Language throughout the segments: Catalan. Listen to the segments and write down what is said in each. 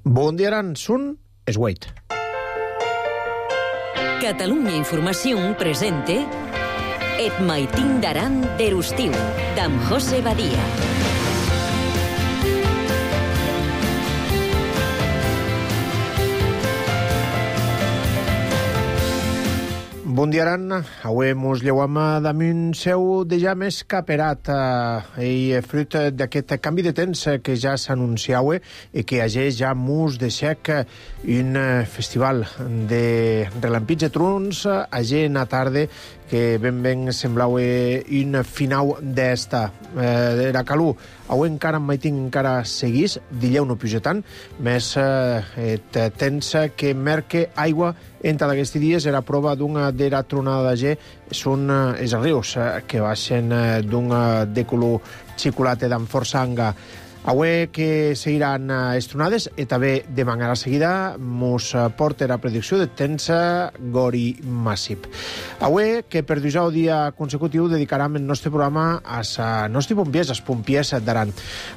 Bon dia, Aran. Sun es Wait. Catalunya Informació presente Et maitin d'Aran d'Erustiu, d'en José Badia. Bon dia, Aran. Avui mos lleuam damunt seu deja més caperat i fruit d'aquest canvi de temps que ja s'anunciava i que ageix ja mus de xec un festival de relampits de trons agent a tarda que ben semblava un final d'esta. Era calor. Avui encara en maitin encara seguís, dileu no puja tant, més temps que merque aigua entre aquests dies era prova d'una d'era tronada de són els rius que baixen d'un de color xocolata d'en força anga. Avui que seguiran estronades i també de manera seguida mos porta la predicció de temps gori massiv. Avui que per 12 dia consecutiu dedicaram el nostre programa als nostres pompiers, als pompiers d'Aran.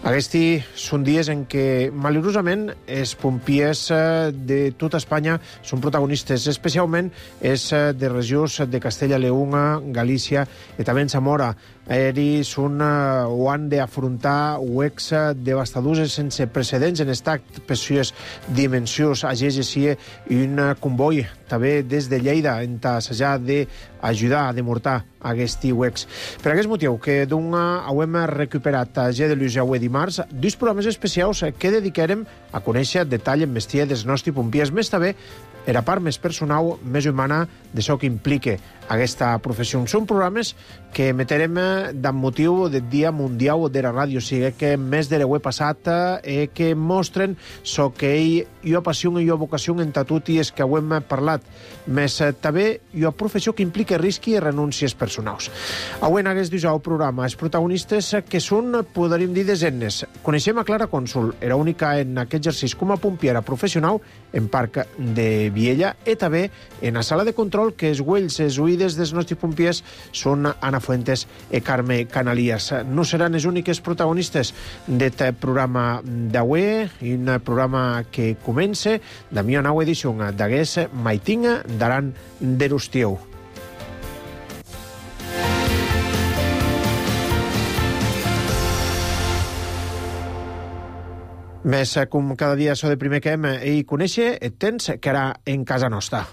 Aquests són dies en què, malauradament, els pompiers de tota Espanya són protagonistes, especialment els de regions de Castella i Lleó, Galícia i també en Zamora. Ells ho han d'afrontar huecs devastadors sense precedents en estat per sues dimensions. Ageix així un comboi també des de Lleida en assajar d'ajudar a demortar aquests huecs. Per aquest motiu que hem recuperat a G de Lluís avui dimarts dos programes especials que dedicarem a conèixer detall en mestia dels nostres pompiers, més també era part més personal, més humana de això que implica aquesta professió. Són programes que emetrem d'en motiu del Dia Mundial de la Ràdio, o sigui que més de l'he passat que mostren so que hi ha passió i hi ha vocació entre tot i és que ho hem parlat, més també hi ha professió que implica risc i renúncies personals. Avui en aquest programa els protagonistes que són, podríem dir, desenes. Coneixem a Clara Cònsul, era única en aquest exercici com a pompiera professional en Parc de Viella i també en la sala de control que els uells, els oïdes dels nostres pompiers són Ana Fuentes i Carme Canalies. No seran els úniques protagonistes d'aquest programa d'avui, un programa que comença de mi nova edició d'Agués Maitinga d'Aran d'Erustiu. Més com cada dia so de primer que hem i conèixer el temps que era en casa nostra.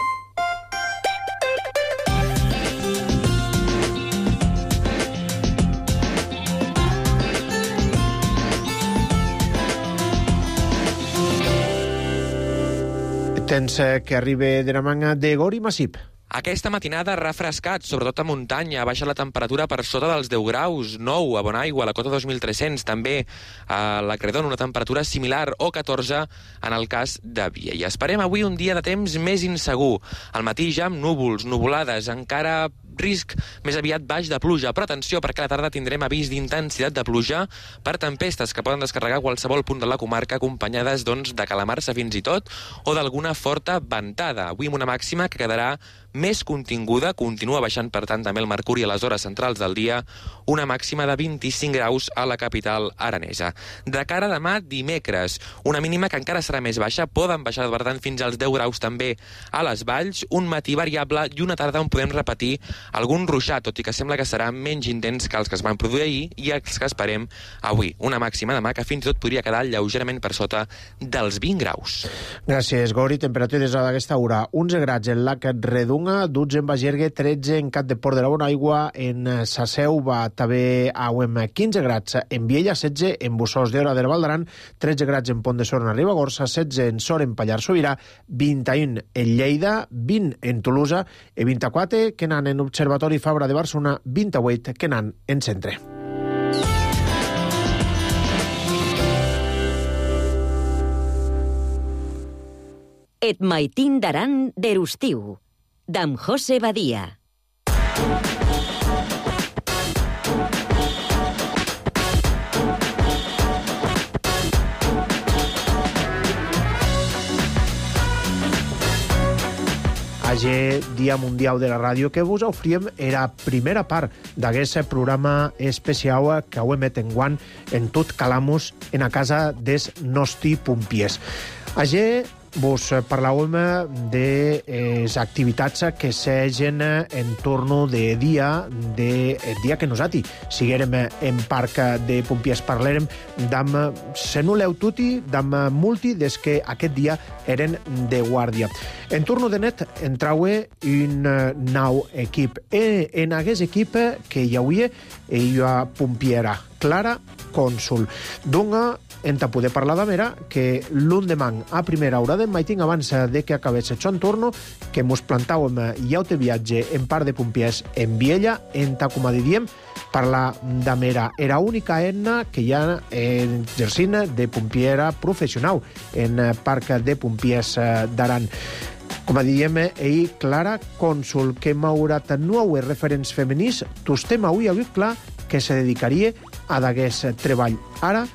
El temps que arriba de la manga de Gori Massip. Aquesta matinada ha refrescat, sobretot a muntanya. Ha baixat la temperatura per sota dels 10 graus, 9 a Bonaigua, a la cota 2300, també a la Credon, una temperatura similar, o 14 en el cas de Viella. Esperem avui un dia de temps més insegur. Al matí ja amb núvols, nuvolades, encara risc més aviat baix de pluja, però atenció perquè a la tarda tindrem avís d'intensitat de pluja per tempestes que poden descarregar qualsevol punt de la comarca acompanyades de calamarsa fins i tot o d'alguna forta ventada. Avui amb una màxima que quedarà més continguda, continua baixant per tant també el mercuri a les hores centrals del dia, una màxima de 25 graus a la capital aranesa. De cara a demà, dimecres, una mínima que encara serà més baixa, poden baixar per tant fins als 10 graus també a les valls, un matí variable i una tarda on podem repetir algun ruixat, tot i que sembla que serà menys intens que els que es van produir ahir i els que esperem avui. Una màxima demà que fins i tot podria quedar lleugerament per sota dels 20 graus. Gràcies, Gori. Temperatures a aquesta hora. 11 graus en Lac Redunga, 12 en Bagergue, 13 en Cap de Port de la Bonaigua, en Saseu va també a 15 graus en Viella, 16 en Bussos d'Hora del Val d'Aran, 13 graus en Pont de Sort en Ribagorça, 16 en Sort en Pallars Sobirà, 21 en Lleida, 20 en Tolosa i 24 que n'han en Observatori Fabra de Barcelona, 28 que n'han en Centre. Et maitin d'Aran d'Erustiu, d'en José Badia. Ager Dia Mundial de la Ràdio, que vos oferíem era primera part d'aquest programa especial que ho emet enguant en tot Calamus en a casa des nostri pompiers. Ager vos parlàvem de les activitats que s'egen en torno de dia que nosaltres siguérem en parc de pompiers. Parlàrem d'am senuleu tuti, d'am multi, des que aquest dia eren de guàrdia. En torno de net entraue un nou equip. En aquest equip que hi hauria ella pompiera, Clara Cònsul. Donga enta poder parlar d'Amera, que l'endemà a primera hora del matí, abans de que acabés el son torno, que mos plantàvem ja de viatge en part de pompiers en Viella, enta, com diríem, parlar d'Amera. Era única eina que hi ha exercint de pompiera professional en parc de pompiers d'Aran. Com diríem, ell, Clara Cònsul, que m'haurat nou referents femenins, tostem avui clar que se dedicaria a d'aquest treball. Ara,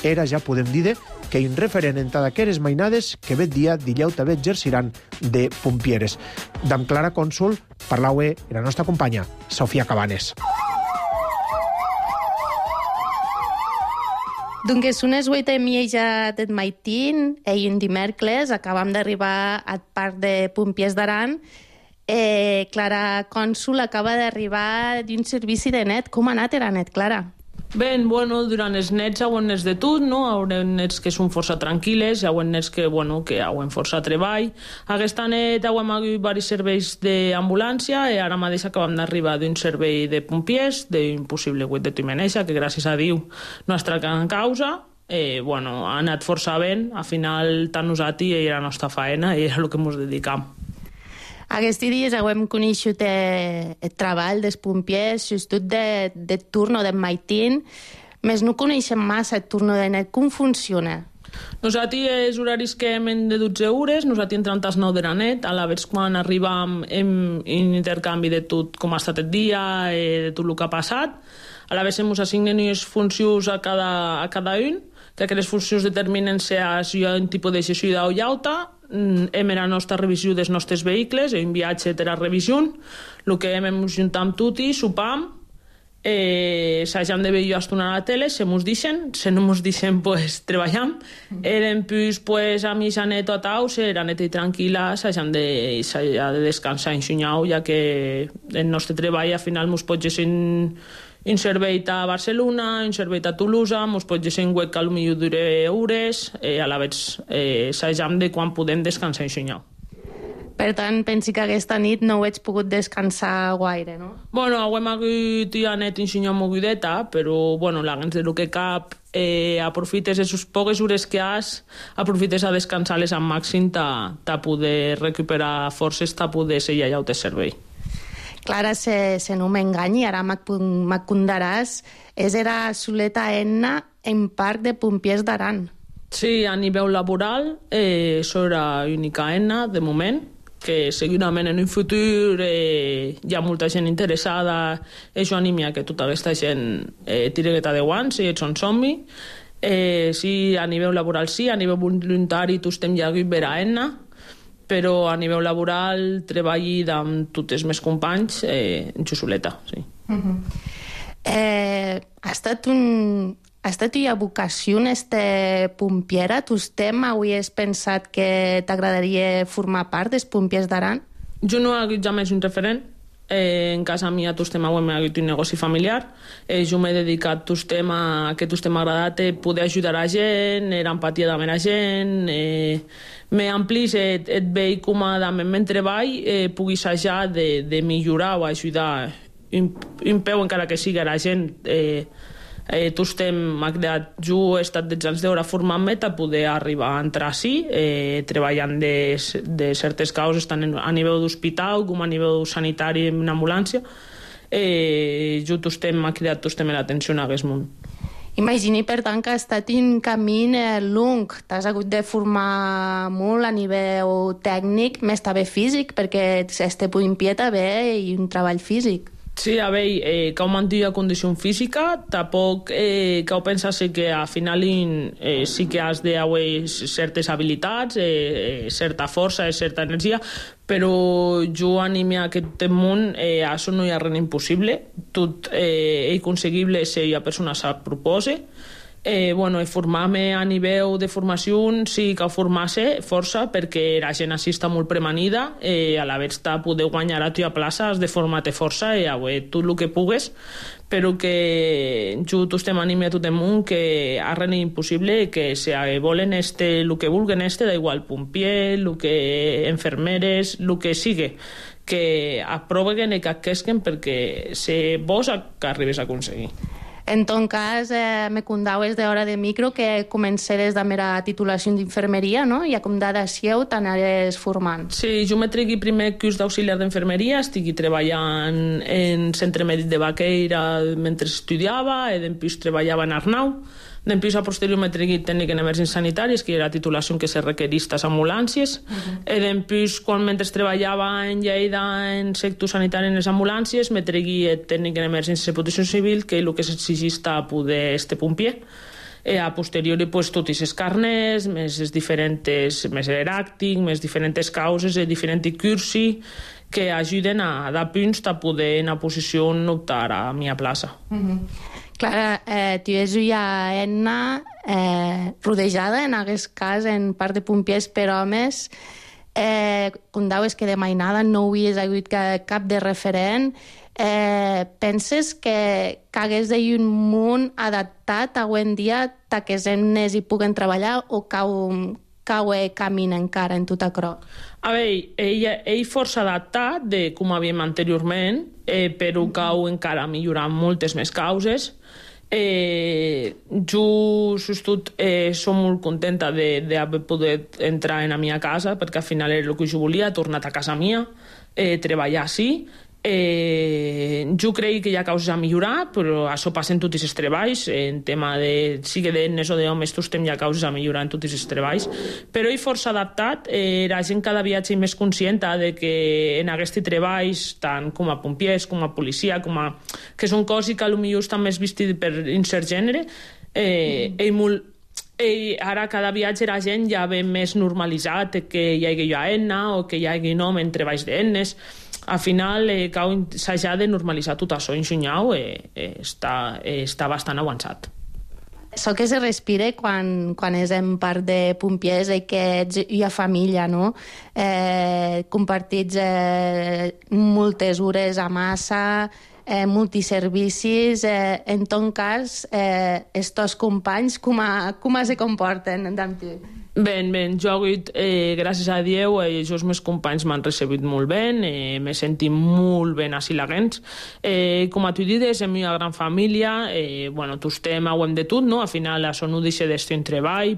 era, ja podem dir, que un referent en d'aquestes mainades que aquest dia dillau també exerciran de pompieres. D'am Clara Cònsul parlaue la nostra companya, Sofia Cabanes. Doncs unes 8:30 ja del matí, un dimecres, acabam d'arribar al parc de pompiers d'Aran. Clara Cònsul acaba d'arribar d'un servici de net. Com ha anat era net, Clara? Bé, bueno, durant els nets hauen nets de tot, no? Hauen nets que són força tranquil·les, hauen nets que hauen força treball. Aquesta net hauen hagut diversos serveis d'ambulància i ara mateix acabam d'arribar d'un servei de pompiers, d'un possible guet de Timeneixa, que gràcies a Déu no es tracta en causa. Ha anat força ben, al final tant nosaltres i la nostra feina i era el que ens dedicam. Aquests dies hem coneixut el treball dels pompiers, sobretot de turno de matí, més no coneixem massa el turno de net. Com funciona? Nosaltres els horaris que hem de 12 hores, nosaltres entrem a les 9 de la nit, a la vegada quan arribam en intercanvi de tot com ha estat el dia, de tot el que ha passat. A la vegada ens assignen unes funcions a cada un, que aquestes funcions determinen si hi ha un tipus de gestió o llauta. Hem la nostra revisió dels nostres vehicles, un viatge de la revisió, el que hem juntat amb tutti, sopam, s'hagem de veure estona a la tele, se mos deixen, se no mos deixen, pues, treballam. Eren pues, a mi s'han tot au, la neta i tranquil·la, s'hagem de descansar en xunyau, ja que el nostre treball al final mos pot ser un servei a Barcelona, un servei a Tolosa, mos pot ser un web que potser dura hores, a la vegada s'hagem de quan podem descansar en xunyau. Per tant, pensi que aquesta nit no ho ets pogut descansar gaire, no? Bueno, hem hagut ja net en xunyau mogudeta, però, la gens del que cap, aprofites les poques hores que has, aprofites a descansar-les al màxim ta poder recuperar forces, ta poder ser allà de servei. Clara, se no m'enganyi, ara m'acondaràs, era soleta eina en parc de pompiers d'Aran. Sí, a nivell laboral, era única eina, de moment, que segurament en un futur hi ha molta gent interessada, això anímia que tota aquesta gent tiragueta de guants i ets un somni. Sí, a nivell laboral sí, a nivell voluntari tu estem ja hagut vera eina, però a nivell laboral treballi amb tots els meus companys en xusoleta, sí. Ha estat una vocació pompiera? Tu avui has pensat que t'agradaria formar part dels pompiers d'Aran? Jo no he hagut jamais un referent. En casa mia hem hagut un negoci familiar. Jo m'he dedicat a que m'ha agradat poder ajudar a gent, l'empatia amb la gent, m'he amplís et veig com amb el treball pugui assajar de millorar o ajudar un peu encara que sigui a la gent. M'ha creat, jo he estat 10 anys d'hora formant-me per poder arribar a entrar així, treballant de certes causes tant a nivell d'hospital com a nivell sanitari en ambulància. Jo m'ha creat l'atenció en aquest món. Imagini, per tant, que ha estat un camí long. T'has hagut de formar molt a nivell tècnic, més també físic, perquè este pompier també i un treball físic. Sí, a veure, cau mantenir la condició física, tampoc cau pensar que al final sí que has d'haver certes habilitats, certa força, certa energia, però jo anime a aquest món, això no hi ha res impossible, tot és aconseguible si la persona se propose. Formar-me a nivell de formació sí que formar-se força perquè la gent així està molt premanida, a la vegada de poder guanyar a tua plaça has de formar-te força i tot el que pugues, però que jo estem anime a tot el món que a res és impossible, que si volen el que vulguen da igual, pompier, el que enfermeres, el que sigui, que aproveguen i que aquesquen perquè si vos que arribes a aconseguir. En ton cas, me contaves d'hora de micro que començares de mera titulació d'infermeria, no? I a com d'adació t'anares formant. Sí, jo me tregui primer curs d'auxiliar d'infermeria, estigui treballant en centre mèdic de Baqueira mentre estudiava, i després treballava en Arnau. Després, a posterior, me tregui tècnic en emergències sanitàries, que era la titulació que se requerís a ambulàncies. I després, quan mentre treballava en Lleida en sector sanitari en les ambulàncies, me tregui tècnic en emergències i protecció civil, que és el que s'exigís a poder pompier. A posteriori, tots els carnets, més els diferents, més l'eràctic, més diferents causes, diferents cursi, que ajuden a dar punts a poder en a posició optar a mi plaça. Clar, tu és una eina rodejada, en aquest cas, en part de pompiers per homes. Contaves que de mainada no havies hagut cap de referent. Penses que hagués d'haver un món adaptat avui en dia que els nenes hi puguen treballar o cau camina encara en tot això? A veure, ell força adaptat de com havíem anteriorment, però cau encara millorar moltes més causes. Jo som molt contenta d'haver pogut entrar en la meva casa, perquè al final era el que jo volia, tornar a casa mia, treballar així. Jo crec que hi ha causes a millorar, però això passa en tots els treballs, en tema de sigui de nenes o d'homes, tots hi ha causes a millorar en tots els treballs, però és força adaptat. La gent cada viatge és més conscient de que en aquests treballs, tant com a pompiers, com a policia, que són coses que potser estan més vistes per incert gènere, ara cada viatge la gent ja ve més normalitzat que hi hagi AENA o que hi hagi nom en treballs d'enes. Al final, s'ha de normalitzar tot això. En Xunyau està bastant avançat. Això que se respira quan és en part de pompiers i que ets una família, no? Compartits moltes hores a massa, multiservicis. En ton cas, els teus companys com se comporten amb tu? Ben, jo he hagut, gràcies a Déu, els meus companys m'han recebut molt bé, m'he sentit molt ben a Silagents. Com a tu dius, és una gran família, tots ho hem de tot, no? Al final això no deixa d'estar en treball,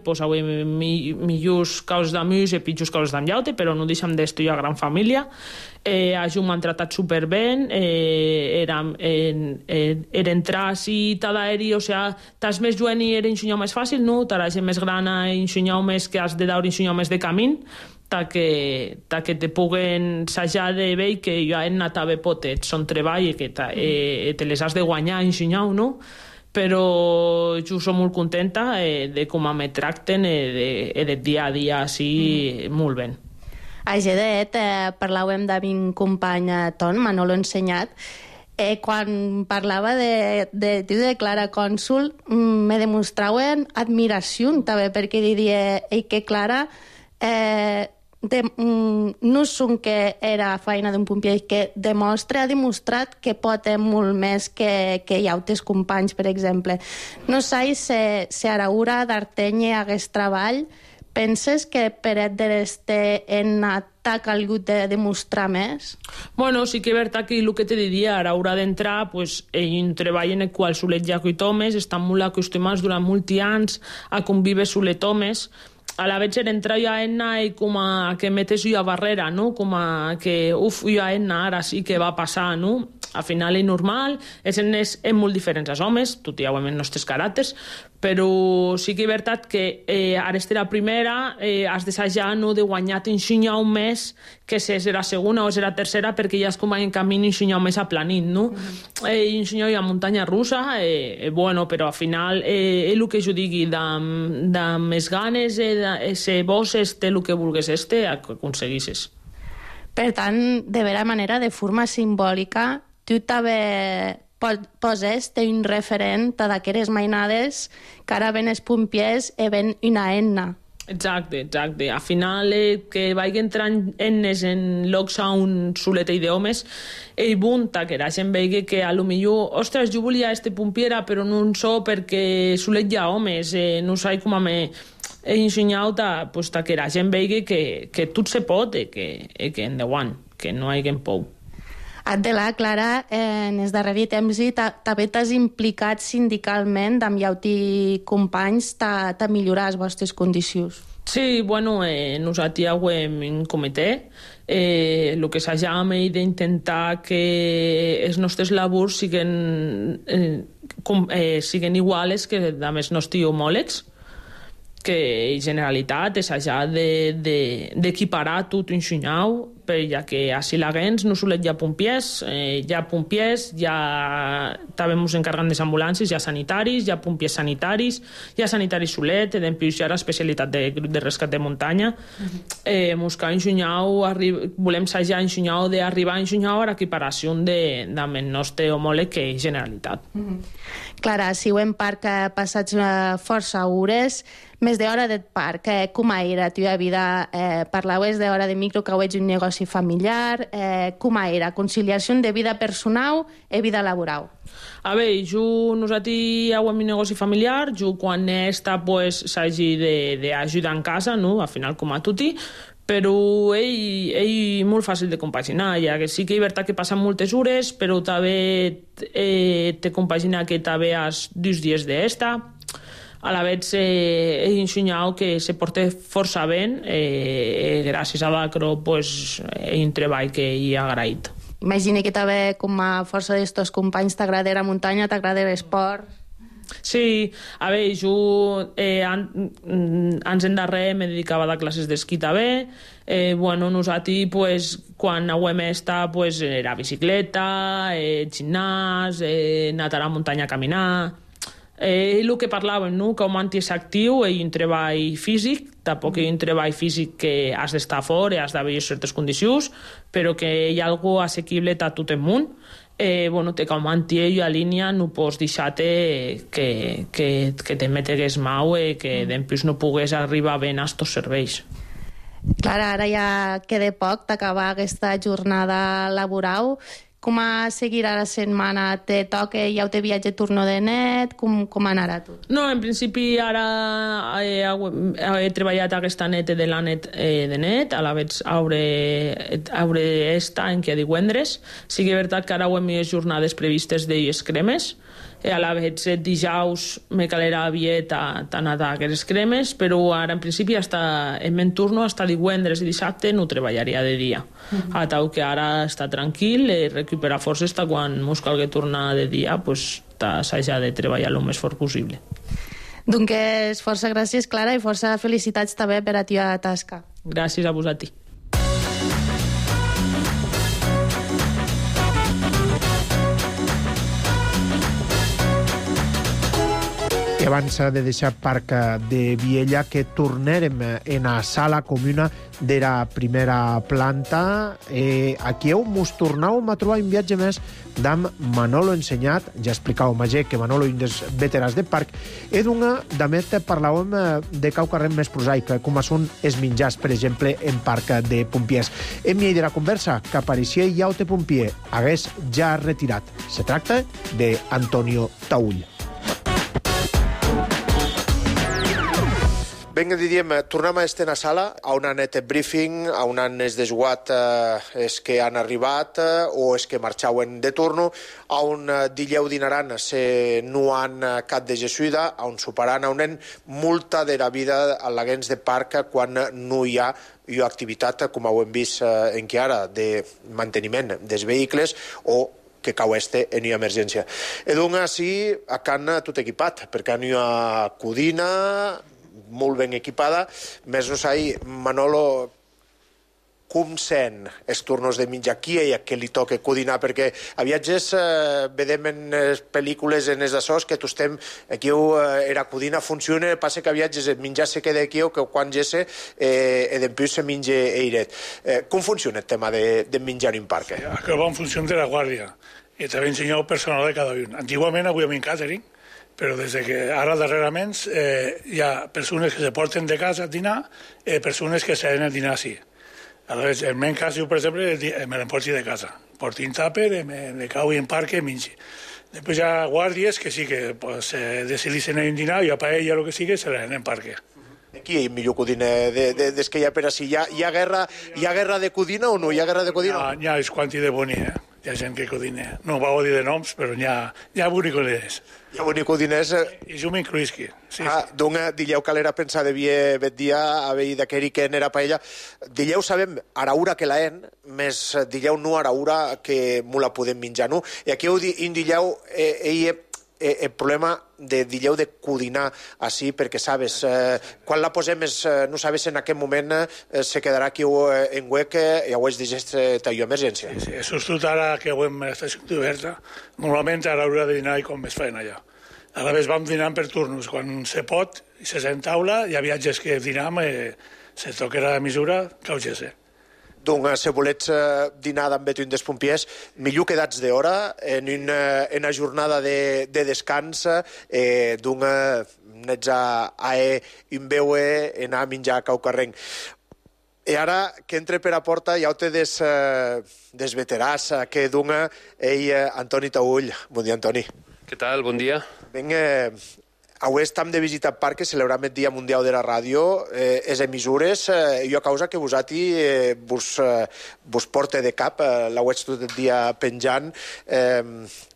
millors causes d'amics i pitjors causes d'enllaute, però no deixem d'estar una gran família. A jo m'han tratat superben, era entrar així, t'ha d'aeri, o sigui, t'has més joven i era ensenyar més fàcil, no? T'ha la gent més gran a ensenyar més que has de dar ensenyar més de camí, que te puguen sajar de veure que jo he anat a bé potet, són treball i que te les has de guanyar ensenyar, no? Però jo soc molt contenta de com me tracten de dia a dia així molt bé. A Gedet parlàvem d'un company ton, Manolo Ensenyat. Quan parlava de Clara Cònsul, me demostraven admiració també, perquè diria que Clara no són que era feina d'un pompier, que ha demostrat que pot molt més que hi ha altres companys, per exemple. No sé si a l'hora d'Arteny hagués treball. Penses que per este t'ha calgut de demostrar més? Bueno, sí que és veritat que el que te diria, a l'hora d'entrar, ell treballa en el qual solet ja homes, estan molt acostumats durant molts anys a conviure solet homes. A la vegada entrar jo a ENA i com a que metes jo a barrera, no? Com a que, jo a ENA ara sí que va passar, no? al final és normal, és molt diferents als homes, tot i els nostres caràcters, però sí que és veritat que ara és la primera, has d'assajar no de guanyar ensenyar un mes que si és la segona o és la tercera, perquè ja és com en camí ensenyar un mes aplanit, no? Ensenyar a muntanya russa, bueno, però al final el que jo digui, de més ganes, ser vos, el que vulgues aconseguissis. Per tant, de vera manera, de forma simbòlica, tu també poses un referent d'aquestes mainades que ara ven els pompiers i ven una enna. Exacte. Al final, que vagi entrant ennes en llocs on soleta i d'homes, ell bunta que la gent vegi que a lo millor, ostres, jo volia este pompiera, però no en so perquè solet hi ha homes, no sé com a me he ensenyat que la gent vegi que tot se pot i que endavant, que no hi hagi por. Adela, Clara, en els darrers temps també t'has implicat sindicalment amb llauti companys a millorar les vostres condicions. Sí, bueno, nosaltres hem en comitè, el que s'ajam és d'intentar que els nostres labors siguin iguals que amb els nostres homòlegs, que en generalitat és allà d'equiparar tot ensenyau, ja que a Silaguens no solet hi ha pompiers, també ens encarreguen de les ambulàncies, hi ha sanitaris, hi ha pompiers sanitaris, hi ha sanitaris solet, després hi ha l'especialitat de grup de rescat de muntanya. Volem assajar ensenyau d'arribar a ensenyau a l'equiparació amb el nostre homòleg que és Generalitat. Clara, si ho en parc passats força hores, més d'hora del parc, com era la teva vida? Parlaves d'hora de micro, que ho ets un negoci familiar, com era? Conciliació de vida personal i vida laboral. A veure, nosaltres hem un negoci familiar, quan està, s'hagi d'ajudar en casa, no? Al final, com a tutti, però és molt fàcil de compaginar, ja que sí que és veritat que passen moltes hores, però també te compagina que també has 2 dies d'esta. A la vegada he ensenyat que se porta força bé, gràcies a l'ACRO és un treball que hi ha agraït. Imagina que també, com a força d'estos companys, t'agrada la muntanya, t'agrada l'esport. Sí, a veure, jo anys endarrere me dedicava a classes d'esquí també. Nosaltres, quan hem estat, era bicicleta, gimnàs, anat a la muntanya a caminar. El que parlàvem, no? Que un és actiu i un treball físic, tampoc hi ha un treball físic que has d'estar fora i has d'haver certes condicions, però que hi ha alguna cosa assequible a tot el món. Te com i a línia no pots deixar-te que te metegues mau i que després no pugues arribar ben a estos serveis. Clara, ara ja queda poc d'acabar aquesta jornada laboral. Com seguirà la setmana? Te toca, ja te viatge turno de net? Com anarà tot? No, en principi ara he treballat aquesta nit de la net de net, a la vegada hauré estat en que divendres. Sí que és veritat que ara ho hem les jornades previstes d'elles cremes, a la vegada dijous me calerà aviat a anar a aquestes cremes, però ara en principi en meu turno fins divendres i dissabte no treballaria de dia. A tal que ara està tranquil i recuperar forces quan ens calgui tornar de dia, s'haja de treballar el més fort possible. Doncs força gràcies, Clara, i força felicitats també per a la teva tasca. Gràcies a vosaltres. I abans de deixar Parc de Viella, que tornarem en la sala comuna de la primera planta. Aquí mos tornàvem a trobar un viatge més d'en Manolo Ensenyat. Ja explicàvem ayer que Manolo és un dels veterans de Parc. I també parlàvem de cau carrer més prosaic, com són els menjars, per exemple, en Parc de Pompiers. En mi de la conversa que apareixia Llaute Pompier hagués ja retirat. Se tracta d'Antonio Taull. Vinga, diríem, tornem a estar a la sala, on han anat el briefing, on han desguat els que han arribat o els que marxaven de torno, on dileu dinaran se no han cap de jesuïda, on soparan, on han multa de la vida a l'agents de parc quan no hi ha activitat, com ho hem vist en que ara, de manteniment dels vehicles o que cau en una emergència. E doncs, sí, a Cana tot equipat, perquè hi ha codina molt ben equipada, més no sé, Manolo, com sent els turnos de menjar qui hi ha que li toca codinar, perquè a viatges vedem en les pel·lícules en els assos que tu estem aquí era codina funciona, passa que a viatges el menjar se queda aquí o que quan gesse després se menja eiret. Com funciona el tema de menjar en parc? Aquí va en funció de la guàrdia i també ensenyar el personal de cada un. Antigament avui en càtering, però des que ara darrerament hi ha persones que se porten de casa a dinar i persones que s'han a dinar així. Aleshores, el meu cas, jo, per exemple, me l'emporti de casa. Porti un tàper, me cau en parc i mengi. Després hi ha guàrdies que sí que decideixen anar a dinar i a paella o el que sigui se l'anen en parc. Qui hi ha millor codina des que hi ha per així? Hi ha guerra de codina o no? Hi ha guerra de codina? Hi ha els quanti de boni, Hi ha gent que codina. No ho dir de noms, però hi ha bonicodines. Hi ha bonicodines... I jo m'incluïsqui. Doncs, dileu que l'era pensar de bet dia, a veure d'aqueri que n'era paella. Dileu sabem araura que l'aen, més dileu no araura que mo la podem menjar, no? I aquí dileu el problema de dileu de codinar així, perquè sabes, quan la posem no sabes en aquest moment se quedarà aquí en huec i ho és de gest tallo emergència. Sí, sobretot ara que ho hem estat oberta, normalment a l'hora de dinar i com es feien allà. A la vegada vam dinant per turnos, quan se pot i se sent taula, hi ha viatges que dinam se toca la mesura que ho gesse. Doncs, si volets dinar amb Betuin dels Pompiers, millor quedats d'hora en una jornada de descans, doncs, nets a un veue anar a menjar a caucarrenc. I ara, que entre per a porta, ja ho té des veteràs, que dona Antoni Taull. Bon dia, Antoni. Què tal? Bon dia. Vinga, avui estem de visita al parc, celebrem el Dia Mundial de la Ràdio, les emissores, jo a causa que vos porte de cap, la veig tot el dia penjant.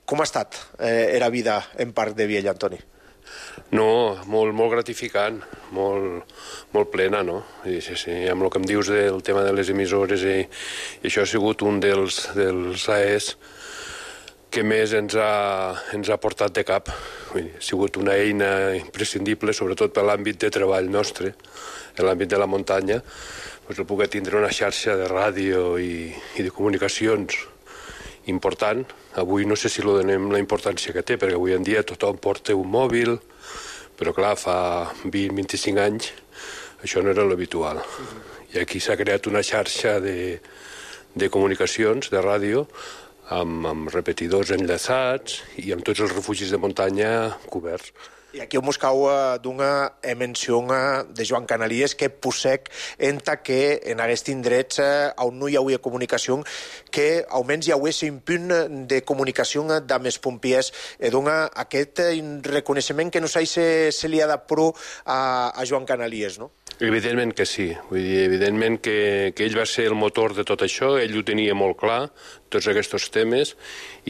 Com ha estat la vida en parc de Viella, Antoni? No, molt gratificant, molt plena, no? Sí, amb el que em dius del tema de les emissores, i això ha sigut un dels AES que més ens ha portat de cap. Ha sigut una eina imprescindible, sobretot per l'àmbit de treball nostre, en l'àmbit de la muntanya, el poder tindre una xarxa de ràdio i de comunicacions important. Avui no sé si li donem la importància que té, perquè avui en dia tothom porta un mòbil, però clar, fa 20-25 anys això no era l'habitual. I aquí s'ha creat una xarxa de comunicacions, de ràdio, amb repetidors enllaçats i amb tots els refugis de muntanya coberts. I aquí mos cau d'una menció de Joan Canalies que possec enta que en aquests indrets on no hi hauria comunicació, que almenys hi hauria un punt de comunicació amb els pompiers. Dona aquest reconeixement que no sé si se li ha de pro a Joan Canalies, no? Evidentment que sí. Vull dir, evidentment que ell va ser el motor de tot això, ell ho tenia molt clar, tots aquests temes,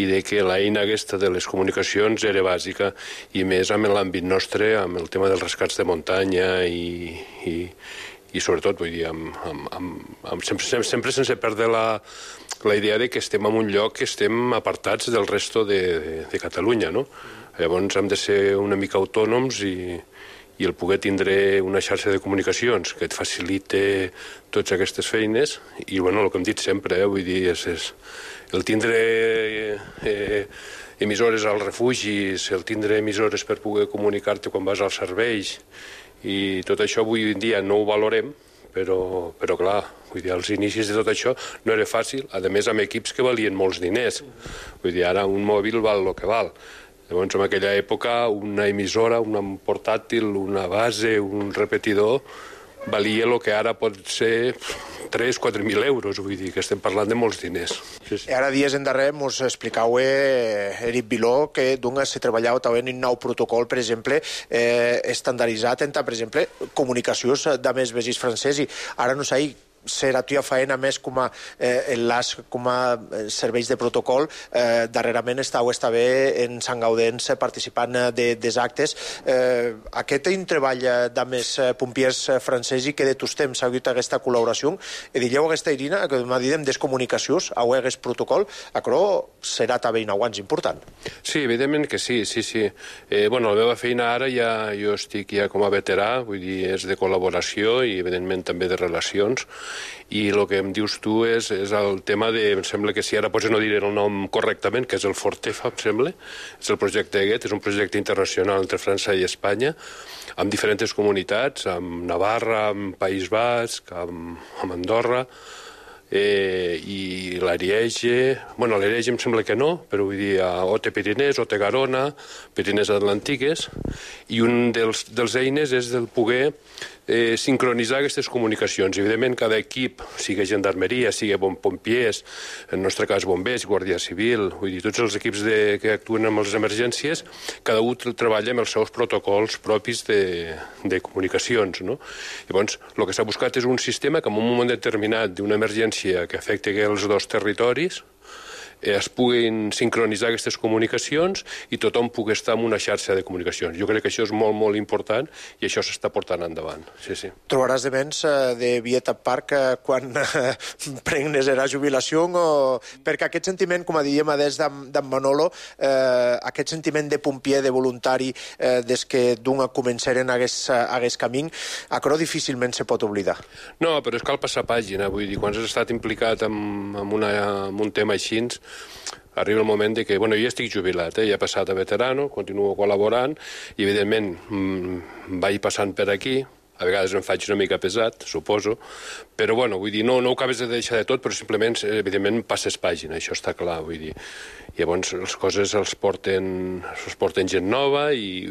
i de que l'eina aquesta de les comunicacions era bàsica, i més amb l'àmbit nostre, amb el tema dels rescats de muntanya i sobretot, vull dir, sempre sense perdre la idea de que estem en un lloc que estem apartats del resto de Catalunya, no? Llavors hem de ser una mica autònoms i el poder tindre una xarxa de comunicacions que et facilite totes aquestes feines, i bueno, el que hem dit sempre, vull dir, és el tindre emissores als refugis, el tindre emissores per poder comunicar-te quan vas als serveis, i tot això avui en dia no ho valorem, però clar, vull dir, als inicis de tot això no era fàcil, a més amb equips que valien molts diners. Vull dir, ara un mòbil val el que val. Llavors, en aquella època, una emissora, un portàtil, una base, un repetidor, valia el que ara pot ser 3.000-4.000 euros, vull dir que estem parlant de molts diners. Sí. Ara dies endarrere mos explicau Eric Viló que se treballava també en un nou protocol, per exemple, estandarditzat entre, per exemple, comunicacions de més veïns francès, i ara no sé ser a tua feina més com a enlaç, com a serveis de protocol, darrerament estàu bé en Sant Gaudens participant dels actes. Aquest treball d'amés pompiers francesos i que de tots temps ha hagut aquesta col·laboració, i dieu aquesta Irina, que m'ha dit des comunicacions, a aquest protocol, això serà també un aguant important. Sí, evidentment que sí. Bueno, la meva feina ara jo estic ja com a veterà, vull dir, és de col·laboració i evidentment també de relacions, i el que em dius tu és el tema de, em sembla que si ara potser no diré el nom correctament, que és el Fortefa, em sembla, és el projecte aquest, és un projecte internacional entre França i Espanya, amb diferents comunitats, amb Navarra, amb País Basc, amb Andorra, i l'Ariège, bueno, l'Ariège em sembla que no, però vull dir, Ote Pirinès, Ote Garona, Pirinès Atlàntiques, i un dels eines és el poder sincronitzar aquestes comunicacions. Evidentment, cada equip, sigui gendarmeria, sigui pompiers, en el nostre cas bombers, guàrdia civil, vull dir, tots els equips que actuen amb les emergències, cada un treballa amb els seus protocols propis de comunicacions, no? Llavors, el que s'ha buscat és un sistema que en un moment determinat d'una emergència que afecti els dos territoris es puguin sincronitzar aquestes comunicacions i tothom pugui estar en una xarxa de comunicacions. Jo crec que això és molt, molt important i això s'està portant endavant. Sí. Trobaràs de menys de Vieta Park quan prengues la jubilació, perquè aquest sentiment, com dèiem des d'en Manolo, aquest sentiment de pompier, de voluntari, des que d'un començaren aquest camí, això difícilment se pot oblidar. No, però cal passar pàgina, vull dir, quan has estat implicat en un tema així, arriba el moment que, bueno, jo estic jubilat, ja he passat a veterano, continuo col·laborant i, evidentment, vaig passant per aquí, a vegades em faig una mica pesat, suposo, però, bueno, vull dir, no ho acabes de deixar de tot, però simplement, evidentment, passes pàgina, això està clar, vull dir. Llavors, les coses els porten gent nova i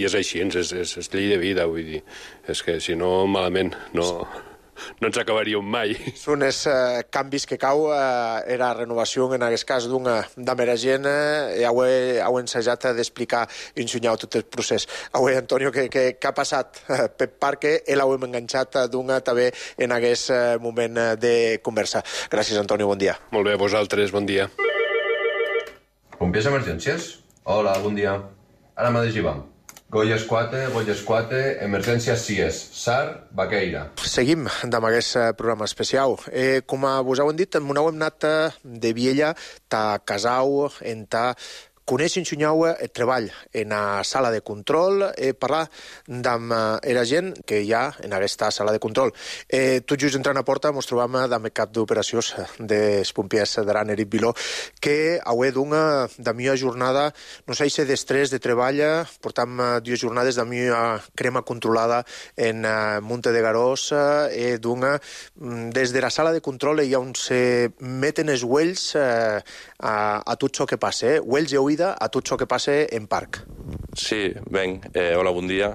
és així, és llei de vida, vull dir. És que, si no, malament, no ens acabaríem mai. Són els canvis que cau, era renovació, en aquest cas, d'amera gent, i heu ensajat d'explicar i ensenyar tot el procés. Avui, Antonio, què ha passat per Parque, l'heu enganxat també en aquest moment de conversa. Gràcies, Antonio, bon dia. Molt bé, vosaltres, bon dia. Pompiers Emergències? Hola, bon dia. Ara mateix hi vam. Golles 4, emergències CIES, SAR, Baqueira. Seguim amb aquest programa especial. Com vos heu dit, m'ho hem anat de Viella, ta Casau, en ta coneix i ensenyau el treball en la sala de control, parlar amb la gent que hi ha en aquesta sala de control. Tot just entrant a porta ens trobam amb el cap d'operacions dels pompiers d'Aran, Eric Viló, que avui d'una meva jornada, no sé si d'estrès de treball, portam 2 jornades de meva crema controlada en Monte de Garós, des de la sala de control hi ha on se meten els uells a tot això que passa, uells i oïda a tot això que passa en Parc. Sí, ben, hola, bon dia.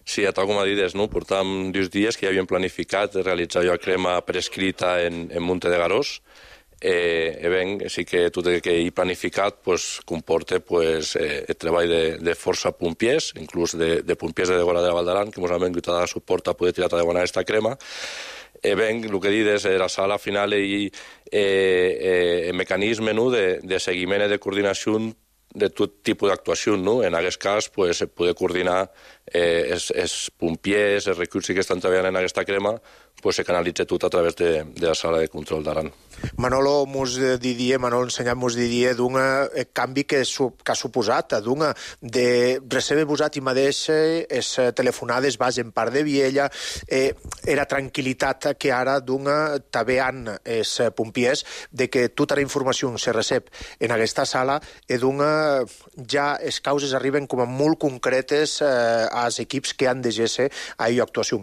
Sí, tal com ha dit, portàvem 2 dies que ja havíem planificat realitzar la crema prescrita en Monte de Garós. Ben, sí que tot el que he planificat comporta el treball de força pompiers, inclús de pompiers de Degora de la Val d'Aran, que ens han vingut a dar suport a poder tirar endavant aquesta crema. Ben, el que he dit és la sala al final i el mecanisme de seguiment i de coordinació de tot tipus d'actuació, no? En aquest cas, poder coordinar els pompiers, els recursos que estan treballant en aquesta crema, se canalitza tot a través de la sala de control d'Aran. Manolo ensenyat mos diria d'un canvi que ha suposat, de recebre posat i mateix les telefonades vas en part de Viella, era tranquil·litat que ara també han els pompiers de que tota la informació se recep en aquesta sala i ja les causes arriben com a molt concretes als equips que han de ser a actuació.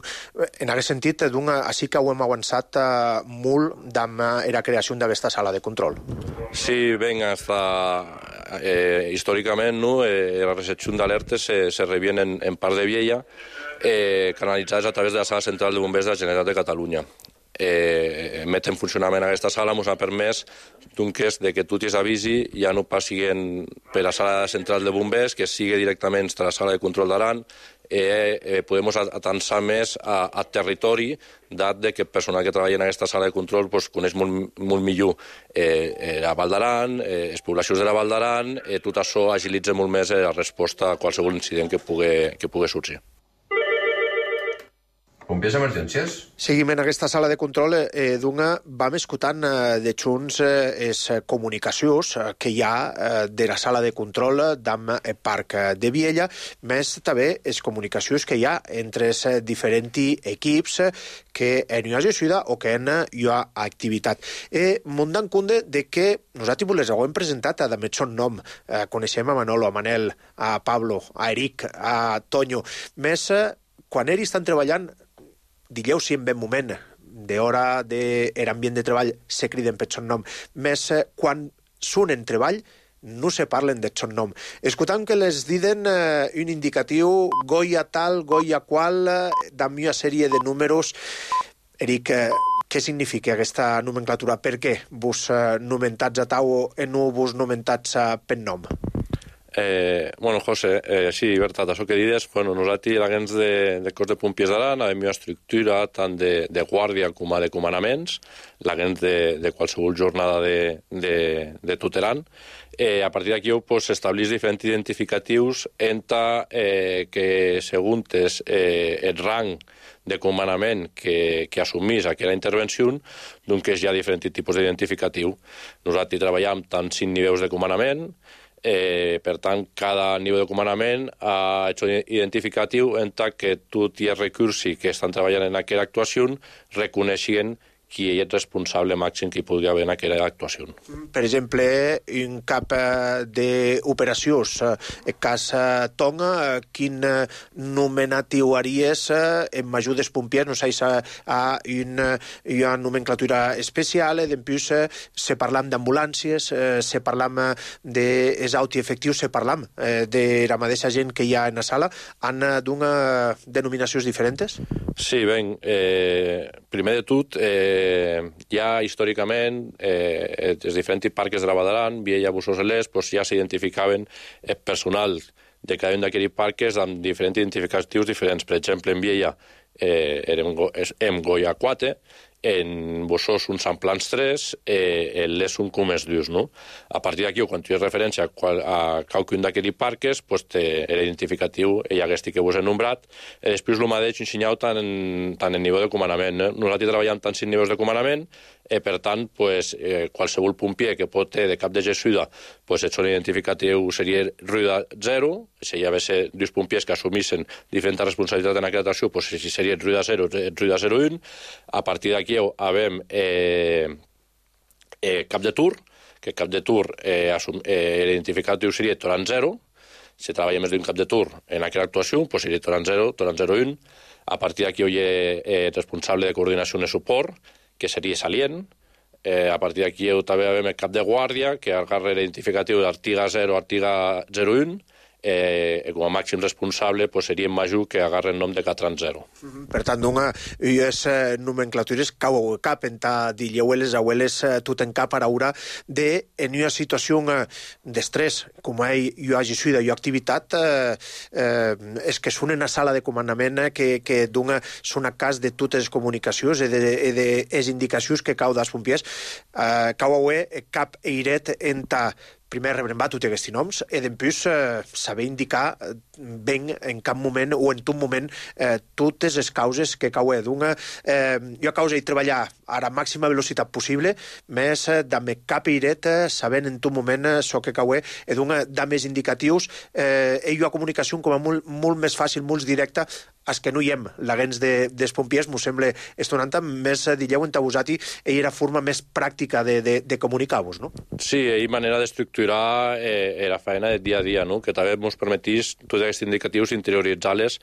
En aquest sentit, així que ho hem avançat molt amb la creació d'aquesta sala de control. Sí, ben, històricament la recepció d'alertes se rebien en part de Viella, canalitzades a través de la sala central de bombers de la Generalitat de Catalunya. Metre en funcionament aquesta sala ens ha permès que tot és avisi ja no passi per la sala central de bombers, que sigui directament a la sala de control d'Aran, podem atançar més a territori, dat que el personal que treballa en aquesta sala de control coneix molt millor la Val d'Aran, les poblacions de la Val d'Aran, tot això agilitza molt més la resposta a qualsevol incident que pugui sorgir. Pompiers emergències? Seguim en aquesta sala de control, vam escoltant de junts les comunicacions que hi ha de la sala de control d'am Parc de Viella, més també les comunicacions que hi ha entre els diferents equips que hi ha gestió o que hi ha activitat. M'ho dan compte de que nosaltres les hem presentat a son nom. Coneixem a Manolo, a Manel, a Pablo, a Eric, a Toño. Més quan ells estan treballant, digueu si en ben moment d'hora d'ambient de treball se criden per son nom, més quan són en treball no se parlen de son nom. Escoltant que les diden un indicatiu goia tal, goia qual, d'am una sèrie de números. Eric, què significa aquesta nomenclatura? Per què vos nomentats a tau i no vos nomentats per nom? Bueno, José, sí, veritat, això que dius, nosaltres, l'agents de cos de pompiers d'Aran, hem una estructura tant de guàrdia com de comandaments, l'agents de qualsevol jornada de tot Aran. A partir d'aquí s'estableix diferents identificatius entre que, segons el rang de comandament que assumís aquella intervenció, doncs hi ha diferents tipus d'identificatiu. Nosaltres treballem tant 5 nivells de comandament. Per tant, cada nivell de comandament ha hecho identificatiu entre que tots els recursos que estan treballant en aquella actuació reconeixen qui és responsable màxim que hi podria haver en aquella actuació. Per exemple, un cap d'operacions, el cas Tonga, quin nomenatiu haries en major dels pompiers? No sé, hi ha una nomenclatura especial, després se parlam d'ambulàncies, se parlam d'exauti efectius, se parlam de la mateixa gent que hi ha en la sala. Han d'una denominacions diferents? Sí, ben, primer de tot, ja històricament els diferents parcs de la Val d'Aran, Viella, Bussos i Les, ja s'identificaven el personal de cada un d'aquests parcs amb diferents identificatius diferents. Per exemple, en Viella érem Goya 4, en Bussos un Sant Plans 3, en Les un Comès Dius, no? A partir d'aquí, quan tu fes referència a cada un d'aquests parcs, l'identificatiu i aquest que vos he nombrat, després el mateix ensenyau tant en nivell de comandament. Nosaltres treballem tant 5 nivells de comandament, per tant, qualsevol pompier que pot ter de cap de gestió, el seu identificatiu seria ruïda 0, si hi havia dos pompiers que assumissin diferents responsabilitats en aquella actuació, si seria ruïda 0, ruïda 0-1. A partir d'aquí havem cap de tur, que cap de tur l'identificatiu seria Toran 0, si treballa més d'un cap de tur en aquella actuació, seria Toran 0, Toran 0-1. A partir d'aquí hi ha responsable de coordinació i suport, que seria Salient. A partir d'aquí també havem el cap de guàrdia, que agarra l'identificatiu d'Artiga 0, Artiga 01, com a màxim responsable seria en major que agarra el nom de Catran 0. Per tant, unes nomenclatures cau cap en dilleueles, abueles, tot en cap a l'aura en una situació d'estrès, com hi ha gestió, hi ha activitat, és que són en la sala de comandament que són a cas de totes les comunicacions i de les indicacions que cau dels pompiers, cau cap eiret en primer rebrembar tots aquests noms i després saber indicar ben en cap moment o en tot moment totes les causes que cau d'una. Jo causa de treballar a la màxima velocitat possible, més de cap eiret sabent en tot moment això que cau d'una de més indicatius i una comunicació com a molt més fàcil, molt directa, és que no hi hem l'agents dels pompiers, m'ho sembla estonant, més dilleu en vosaltres i era forma més pràctica de comunicar-vos, no? Sí, hi ha manera d'estructurar la feina del dia a dia, no? Que també ens permetís tots aquests indicatius interioritzar-les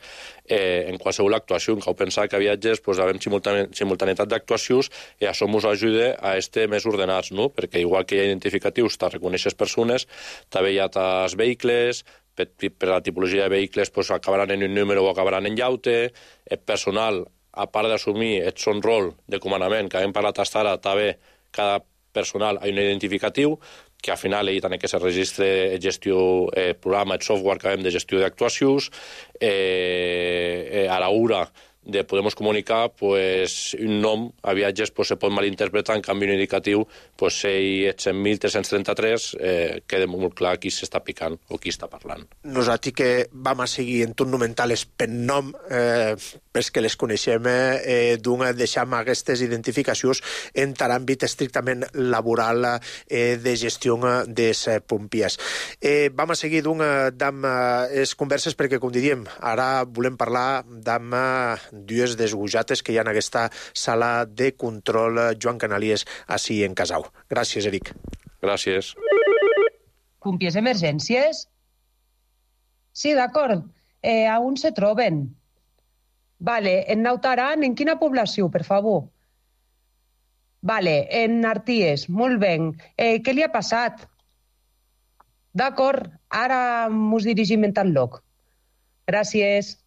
en qualsevol actuació. Cal pensar que a viatges havem simultaneïtat d'actuacions i això ens ajuda a estar més ordenats, no? Perquè igual que hi ha identificatius, te reconeixes persones, també hi ha els vehicles, per la tipologia de vehicles acabaran en un número o acabaran en llaute, el personal, a part d'assumir el son rol de comandament, que hem parlat fins ara, també cada personal ha un identificatiu, que al final hi ha que se registre gestió, programa, software que hem de gestió d'actuacions, a l'hora de Podemos Comunicar, pues, un nom a viatges pues, se pot malinterpretar, en canvi un indicatiu, pues, 100.333, queda molt clar qui s'està picant o qui està parlant. Nosaltres que vam a seguir en un nomentales per nom, pels que les coneixem, deixem aquestes identificacions en l'àmbit estrictament laboral de gestió dels pompiers. Vam a seguir amb les converses perquè, com diríem, ara volem parlar amb dues desgujates que hi ha en aquesta sala de control Joan Canalies així en Casau. Gràcies, Eric. Gràcies. Pompiers emergències? Sí, d'acord. On se troben? Vale, en Nautaran, en quina població, per favor? Vale, en Arties, molt bé. Què li ha passat? D'acord, ara mos dirigim en tal lloc. Gràcies.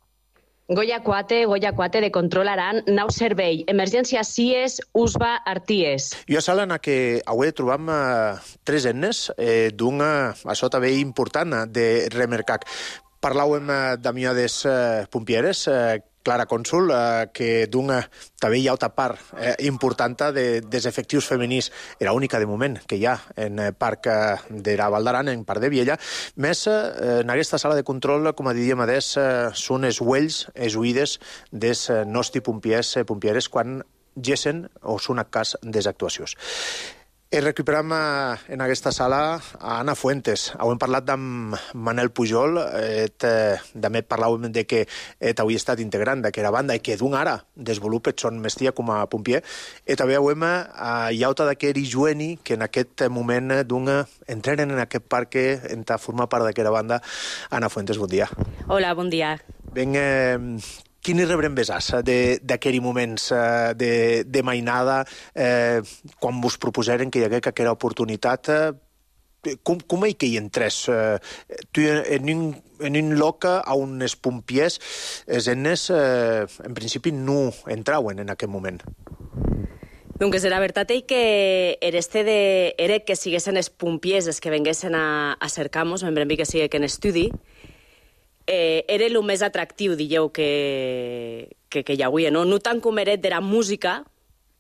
Goya 4 de Control Aran, nau servei, emergència CIES, USB, Arties. Jo a sala en què avui trobam tres ennes d'una, això també important, de Remercac. Parlàvem d'amiades pompieres, Clara Cònsul, que d'una també hi ha altra part important dels efectius femenins, era única de moment que hi ha en parc de la Val d'Aran, en parc de Viella. Més, en aquesta sala de control, com diríem, són els uells, els oïdes dels nostres pompieres quan gessen o són a cas des actuacions. Recuperam en aquesta sala a Anna Fuentes. Hem parlat amb Manel Pujol, també parlàvem de que havia estat integrant d'aquesta banda i que d'un ara desenvolupa son mestia com a pompier. I també hem hi ha d'aquest Ijueni que en aquest moment entrenen en aquest parc en formar part d'aquesta banda. Anna Fuentes, bon dia. Hola, bon dia. Ben, quins rebrembesars d'aquells moments de mainada quan vos proposeren que hi hagués aquesta oportunitat? Com és que hi entres? En un lloc on els pompiers, els ennes, en principi no entraven en aquest moment. Doncs la veritat és que era que siguessin els pompiers els que venguessin a cercar-nos, en que sigui que en estudi, era el més atractiu, dieu, que hi havia, no? No tant com era de la música,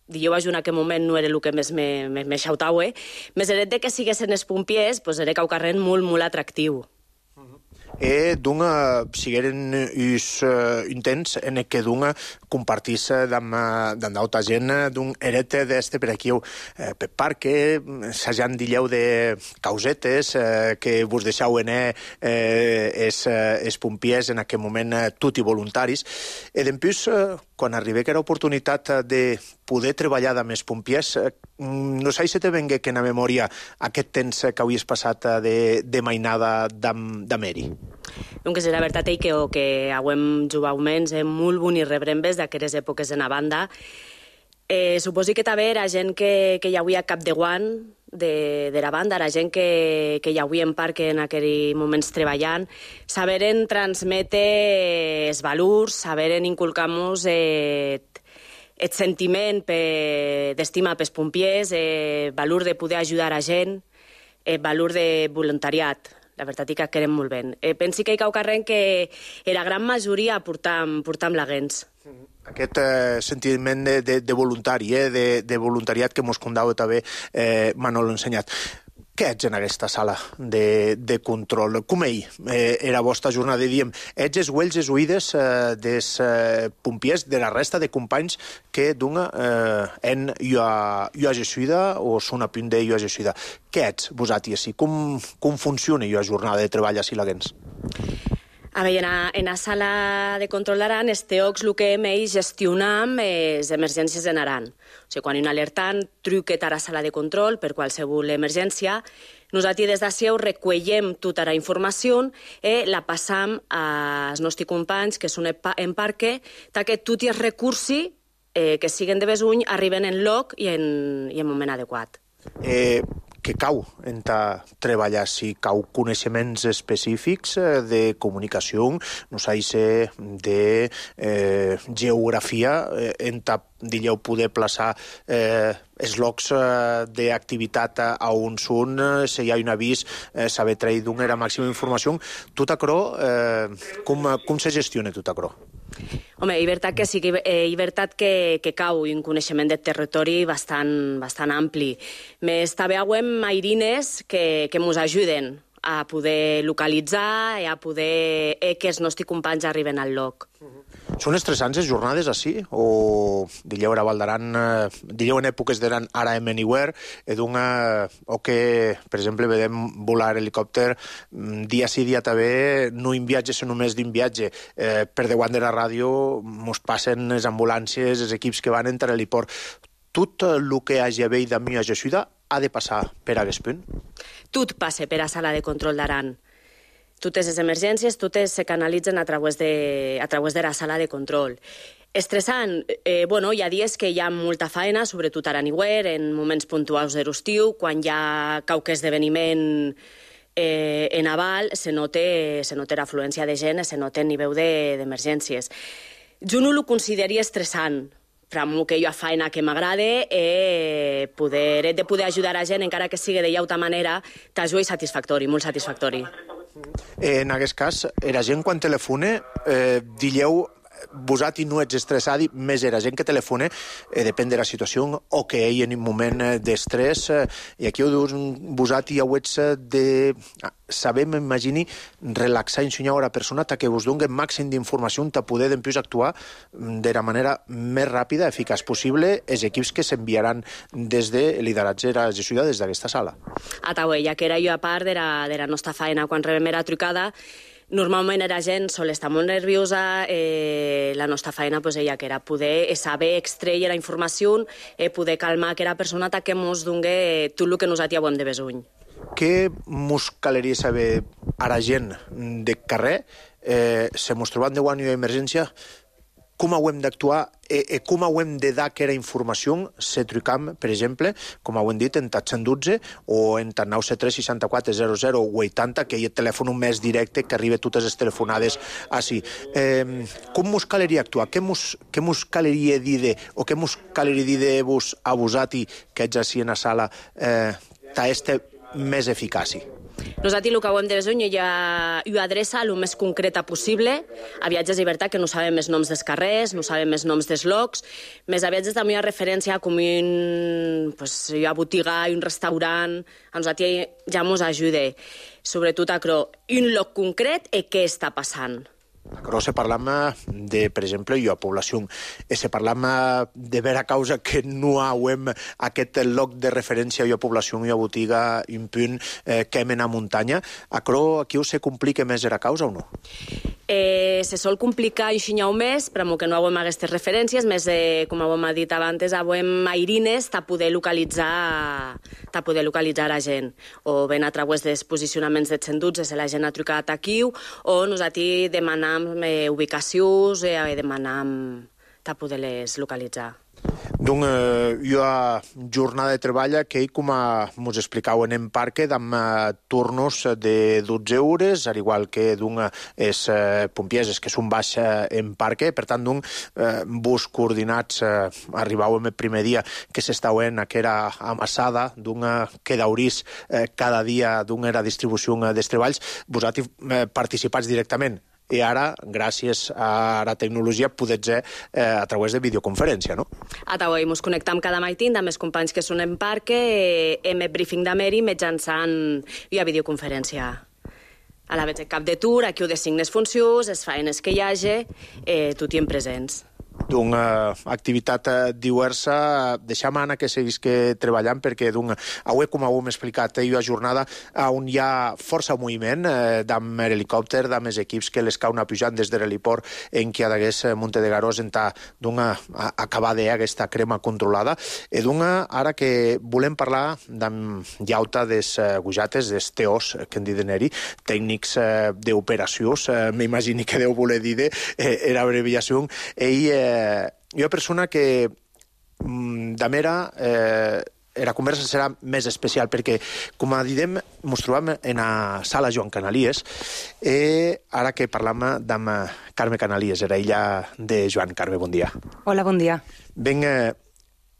dieu, en aquell moment no era el que més me xautava, més era de que siguessin els pompiers, doncs era caucarren molt, molt atractiu. Sigueren uns intents en què compartís amb d'altra gent eret d'este per aquí per parc, s'hagin dilleu de causetes que vos deixau els pompiers en aquest moment tot i voluntaris. I després, quan arriba aquesta oportunitat de poder treballar amb els pompiers, no sé si te vengue que en la memòria aquest temps que havies passat de mainada d'Ameri. Doncs la veritat és que hem jugat menys molt bonics rebrembes d'aquestes èpoques en la banda. Suposo que també era gent que hi havia cap de guant de la banda, era gent que hi havia en parc en aquells moments treballant, saberen transmetre els valors, saberen inculcar-nos el sentiment d'estima pels pompiers, el valor de poder ajudar a gent, el valor de voluntariat. La veritat és que querem molt bé. Pensi que hi cau carrer que la gran majoria portam laguens. Aquest sentiment de voluntari, de voluntariat que mos condau també Manolo ensenyat. Què ets en aquesta sala de control? Com era la vostra jornada? Diem, ets els uells, els oïdes dels pompiers, de la resta de companys que d'una en jo gessuida o són a punt de jo gessuida. Què ets vosaltres? Com funciona la jornada de treball a Silaguens? A veure, en la sala de control d'Aran, els teòcs el que hem gestionam les emergències en Aran. O sigui, quan hi ha un alertant, truquet a la sala de control per qualsevol emergència, nosaltres des d'ací recueillem tota la informació i la passam als nostres companys que són en parque, perquè tots els recursos que siguen de besuny arriben en lloc i en moment adequat. que cau en treballar, si cau coneixements específics de comunicació, no sé, de geografia, en dilleu poder plaçar eslocs d'activitat a on són, si hi ha un avís, saber trair d'una era màxima informació. Tot aquerò, com se gestiona tot aquerò? Home, és veritat que sí, és veritat que cau un coneixement del territori bastant ampli. Més també hauem mairines que ens ajuden a poder localitzar i a poder que els nostres companys arriben al lloc. Són estressants les jornades així? O dilleu a Val d'Aran, dilleu en èpoques d'Aran ara en Anywhere, o que, per exemple, vedem volar helicòpter dia sí, dia també, no en viatge, sinó només d'un viatge. Per davant de la ràdio mos passen les ambulàncies, els equips que van entre l'heliport. Tot el que hagi haver d'ami a Jessuda ha de passar per aquest punt? Tot passa per a sala de control d'Aran. Totes les emergències, totes se canalitzen a través de la sala de control. Estressant, hi ha dies que hi ha molta feina, sobretot a Anywhere, en moments puntuals de l'estiu, quan hi ha qualque esdeveniment en aval, se nota l'afluència de gent, se nota el nivell d'emergències. Jo no ho consideraria estressant, però amb el que jo a feina que m'agrada de poder ajudar a gent, encara que sigui de llauta manera, t'ajuda i satisfactori, molt satisfactori. En aquest cas, la gent quan telefona, dilleu, vosaltres no ets estressat, més era gent que telefona, depèn de la situació, o que ell en un moment d'estrès, i aquí vosaltres ja ho ets de saber, m'imagini, relaxar i ensenyar a la persona que us doni el màxim d'informació per poder després actuar de la manera més ràpida, eficaç possible, els equips que s'enviaran des de lideratge de Jessuda des d'aquesta sala. Ja que era jo a part de la nostra feina quan rebem la trucada, normalment la gent sol estar molt nerviosa, la nostra feina que era poder saber extreure la informació, poder calmar aquella persona que ens doni tot el que nosaltres hem de besony. Què mos caleria saber a la gent de carrer, se mos trobant de guany d'emergència, com hem d'actuar i com hem de dar aquella informació, se trucam, per exemple, com hem dit, en 112 o en 973 64 00 80, que hi ha el telèfon més directe que arriba totes les telefonades així. Com mos caleria actuar? Què mos caleria dir o què mos caleria dir de vos a vosaltres que ets així en la sala més eficaç? Nosaltres el que hem de besony ho adreça el més concreta possible. A viatges de llibertat que no sabem els noms dels carrers, no sabem els noms dels llocs, més a viatges també hi ha referència com una botiga, un restaurant, a nosaltres ja ens ajuda. Sobretot a un lloc concret i què està passant. Però se parlam de, per exemple, a població, se parlam de vera causa que no hauem aquest lloc de referència a població, a botiga, un punt que hem a muntanya. Aquí se complica més la causa o no? Se sol complicar un xinyau més, però que no hauem aquestes referències, més com hem dit abans, hauem airines a poder localitzar la gent. O ben a través dels posicionaments de 112, si la gent ha trucat aquí, o nosaltres demanam ubicacions i demanam a poder-les localitzar. Donc, hi ha jornada de treball que, com ens explicaven en parque, amb turnos de 12 hores, al igual que els pompiers que són baix en parque. Per tant, bus coordinats, arribàvem el primer dia que s'estaven aquella amassada, que d'aurís cada dia era distribució dels treballs. Vosaltres participats directament. I ara, gràcies a la tecnologia, podem ser a través de videoconferència, no? Ens connectem cada matí amb els companys que són en parc, hem el briefing de Meri mitjançant via videoconferència. A la vegada del cap de tur, aquí ho designes funcions, les feines que hi hagi, tot i en presents. D'una activitat diversa, deixem Anna que seguís treballant perquè avui, com ho hem explicat, hi ha jornada on hi ha força moviment d'amb l'helicòpter, d'amb els equips que les cauen pujant des de l'heliport en qui hagués Monte de Garós en acabar d'aquesta crema controlada. I ara que volem parlar d'amb llauta des gujates, des TOs, que en diuen tècnics d'operacions, m'imagini que deu voler dir era abreviació, hi ha persona que de mera la conversa serà més especial perquè, com diem, ens trobem en la sala Joan Canalies ara que parlam amb Carme Canalies, era illa de Joan. Carme, bon dia. Hola, bon dia. Ben,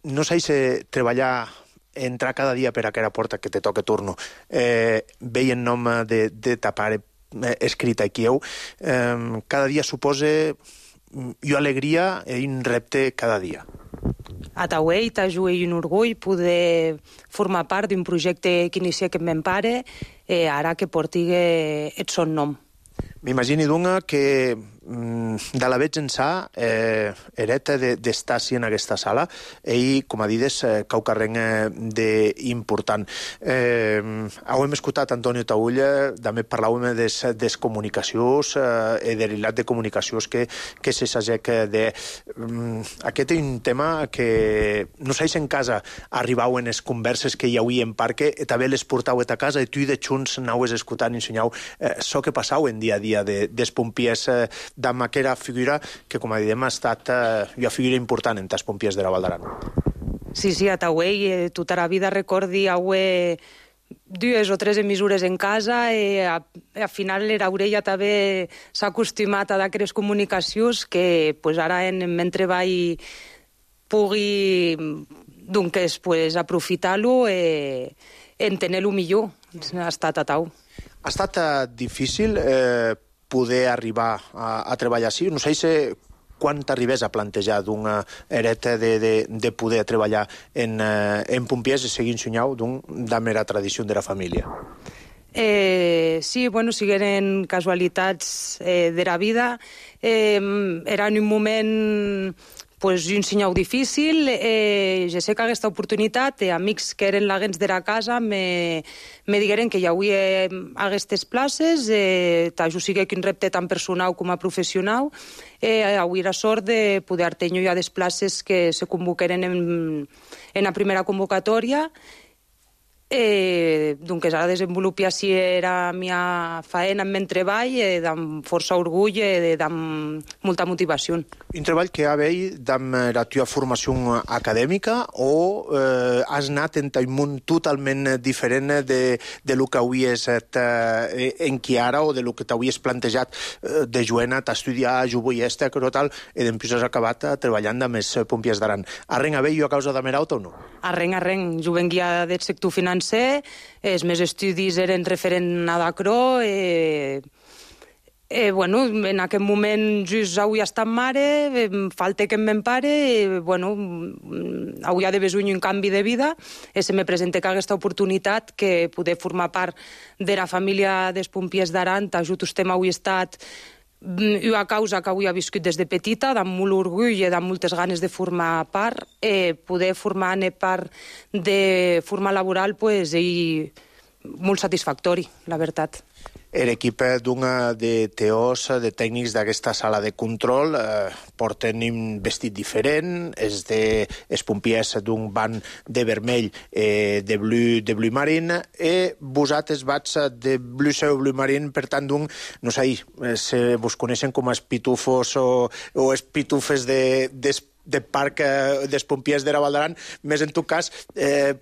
no sé si treballar, entrar cada dia per aquella porta que te toca turno, veient nom de ta pare escrita aquí, cada dia suposa jo alegria i un repte cada dia. A Tauei t'ajuda un orgull poder formar part d'un projecte que inicia aquest meu pare, ara que porti el son nom. M'imagini, doncs, que de la veig ençà hereta d'estar així en aquesta sala i, com a dides, cau carreng d'important. Hem escoltat Antonio Taulla, també parlàvem des comunicacions i de l'hilat de comunicacions que se s'agec de... Aquest és un tema que no sé si en casa arribau en les converses que hi havia en parque, també les portau a casa i tu de junts anaues escoltant i ensenyau això que passau en dia a dia dels pompiers d'ama aquella figura que, com diem, ha estat una figura important entre els pompiers de la Val d'Aran. Sí, a Tauei tota la vida recordi haver 2 o 3 emissures en casa i al final l'orella també s'ha acostumat a d'aquelles comunicacions que ara en meu treball pugui doncs aprofitar-lo en tenir-lo millor. Ha estat a Tau. Ha estat difícil poder arribar a treballar així? No sé quan t'arribes a plantejar d'una hereta de poder treballar en pompiers i seguir ensenyant de mera tradició de la família. Sí, sigueren casualitats de la vida. Era en un moment un senyal difícil. Jo sé que aquesta oportunitat, amics que eren l'agents de la casa me digueren que hi havia aquestes places, tant sigui que un repte tan personal com a professional, avui la sort de poder tenir ja les places que se convoqueren en la primera convocatòria. Doncs ara desenvolupi així la meva feina amb el treball, amb força orgull i amb molta motivació. Un treball que ha veit amb la teva formació acadèmica o has anat en un món totalment diferent de lo que havies en qui ara o de lo que t'havies plantejat de joven t'estudiar, jo vull estar, tal, i després has acabat treballant amb els pompiers d'Aran. Arrenc a veure a causa de Merauta o no? Arrenc. Jo vengia del sector financer, els meus estudis eren referent a Dacro, en aquest moment just avui estat mare, falta que em pare, avui ha de besar un canvi de vida, i se me presenta aquesta oportunitat que poder formar part de la família dels pompiers d'Aran, t'ajut estem avui estat una causa que avui ha viscut des de petita, amb molt orgull i amb moltes ganes de formar part, poder formar part de forma laboral i molt satisfactori, la veritat. L'equip de teors, de tècnics d'aquesta sala de control, porten un vestit diferent, és dels pompiers d'un banc de vermell de blu marín, i vosaltres vats de blu seu blu marín, per tant, no sé, si vos coneixen com els pitufos o els pitufes de parc dels pompiers de la Val d'Aran, més en tot cas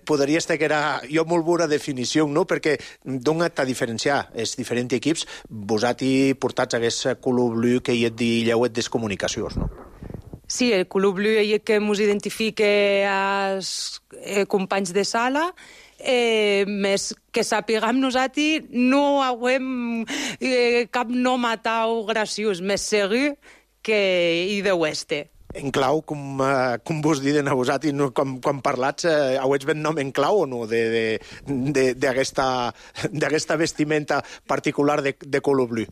podria estar que era jo molt bona definició, no? Perquè d'on t'ha diferenciar els diferents equips, vosaltres portats aquest color blu que hi et dilleu des comunicacions, no? Sí, el color blu és el que ens identifica als companys de sala, més que sapiguem nosaltres no haguem cap nom atau graciós, més segur que hi deu estar. En clau, com vos diuen a vosaltres, quan parlats, hauets ben nom en clau o no, d'aquesta vestimenta particular de color blu?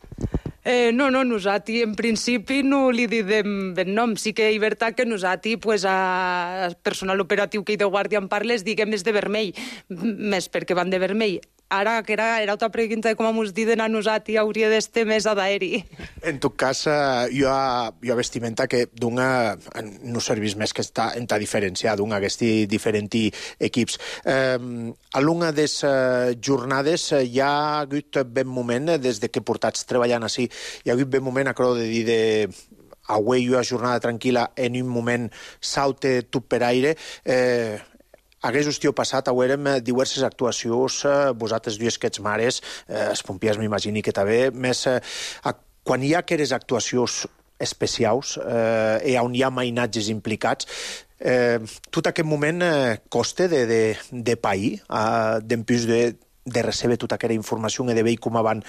No, nosaltres en principi no li diem ben nom. Sí que és veritat que nosaltres, al personal operatiu que hi de guàrdia en parles, diguem és de vermell, més perquè van de vermell. Ara, que era altra pregunta de com ens diuen a nosaltres, hauria d'estar més a d'aeri. En tot cas, hi ha vestimenta que no serveix més que està en ta diferència d'aquests diferents equips. A l'una de les jornades hi ha hagut ben moment, des que portats treballant així, hi ha hagut ben moment, acabo de dir, avui una jornada tranquil·la, en un moment saute tot per aire, Hagués estiu passat, haurem diverses actuacions, vosaltres dues que ets mares, els pompiers m'imagini que també, més quan hi ha aquelles actuacions especials i on hi ha mainatges implicats, tot aquest moment costa de pair, d'empús de recebre tota aquella informació i de veure com van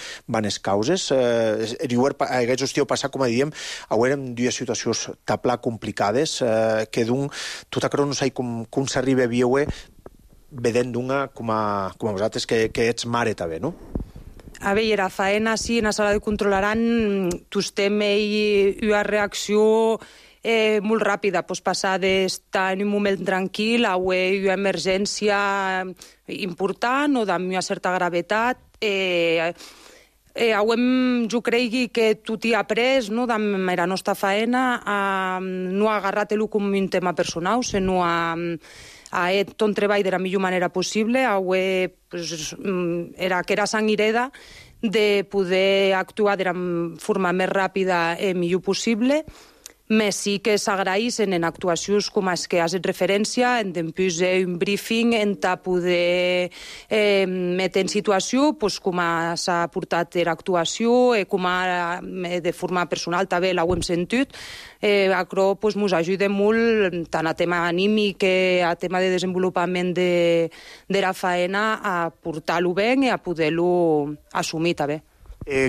les causes. Aquest estiu passat, com diem, haurem dues situacions taplar complicades, que tot això no sé com s'arriba a veure vedent d'una com a vosaltres, que ets mare també, no? A veure, la faena, sí, en la sala de controlaran, tostem una reacció molt ràpida, pues passar d'estar en un moment tranquil a una emergència important o d'una certa gravetat. Jo crec que tot hi ha après, no, de la nostra faena, no ha agarrat-lo com un tema personal, sinó a tot un treball de la millor manera possible, era que era sang i hereda de poder actuar de la forma més ràpida i millor possible, més sí que s'agraïssin en actuacions com les que has fet referència, en després un briefing, en poder metre en situació com s'ha portat l'actuació, com de forma personal també l'hem sentit. Això ens ajuda molt tant a tema anímic que a tema de desenvolupament de la faena a portar-lo bé i a poder-lo assumir també.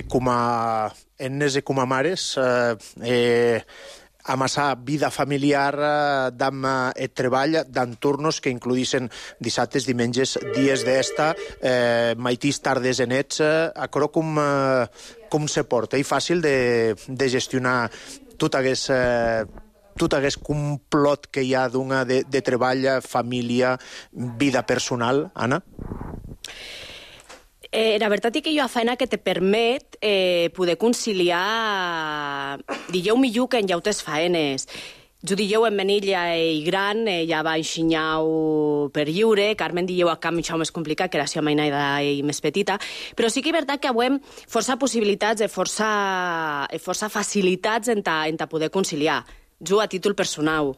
Com a nenes i com a mares, amassar vida familiar d'am el treball d'entornos que incluïssin dissabtes, dimenges, dies d'esta, maitís, tardes i nets, això com se porta? És fàcil de gestionar tot aquest complot que hi ha de treball, família, vida personal, Anna? La veritat és que hi ha feina que te permet poder conciliar, digueu millor que en llautes faenes. Jo digueu en menilla i gran, ja va enxinyar per lliure, Carmen digueu a camp això més complicat, que era la seva mainada i més petita, però sí que és veritat que avui força possibilitats i força facilitats en poder conciliar. Jo a títol personal.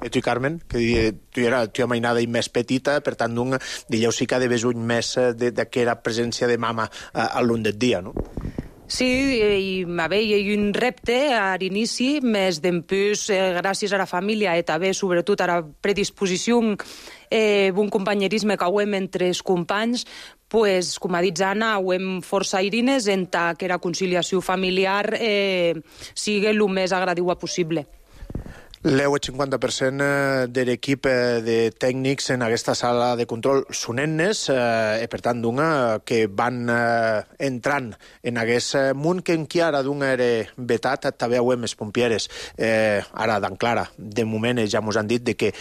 I tu, Carmen, que tu era la mainada i més petita, per tant, digueu sí que ha d'haver un més d'aquella presència de mama a l'un del dia, no? Sí, hi ha un repte a l'inici, més d'empús, gràcies a la família i també, sobretot, a la predisposició un companyerisme que hem entre els companys, pues, com ha dit Anna, hem força airines en que la conciliació familiar sigui el més agradable possible. El 50% de l'equip de tècnics en aquesta sala de control són nenes, i per tant que van entrant en aquest món que encara era vetat, també ho hem els pompieres. Ara, d'enclara, de moment ja ens han dit que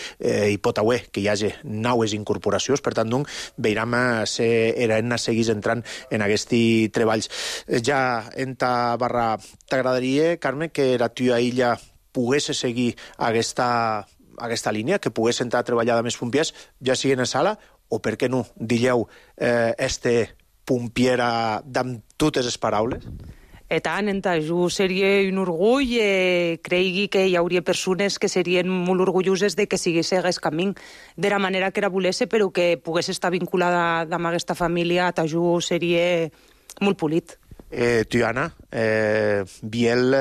hi pot haver que hi hagi noves incorporacions, per tant, veurem si eren seguís entrant en aquests treballs. Ja en ta barra t'agradaria, Carmen, que la tua illa pogués seguir aquesta línia, que pogués entrar a treballar amb els pompiers, ja sigui en la sala, o per què no, digueu, pompiera amb totes les paraules? I tant, jo seria un orgull, cregui que hi hauria persones que serien molt orgulloses de que sigués aquest camí, de la manera que era volesse, però que pogués estar vinculada amb aquesta família, jo seria molt polit. Tu, Anna, Biel,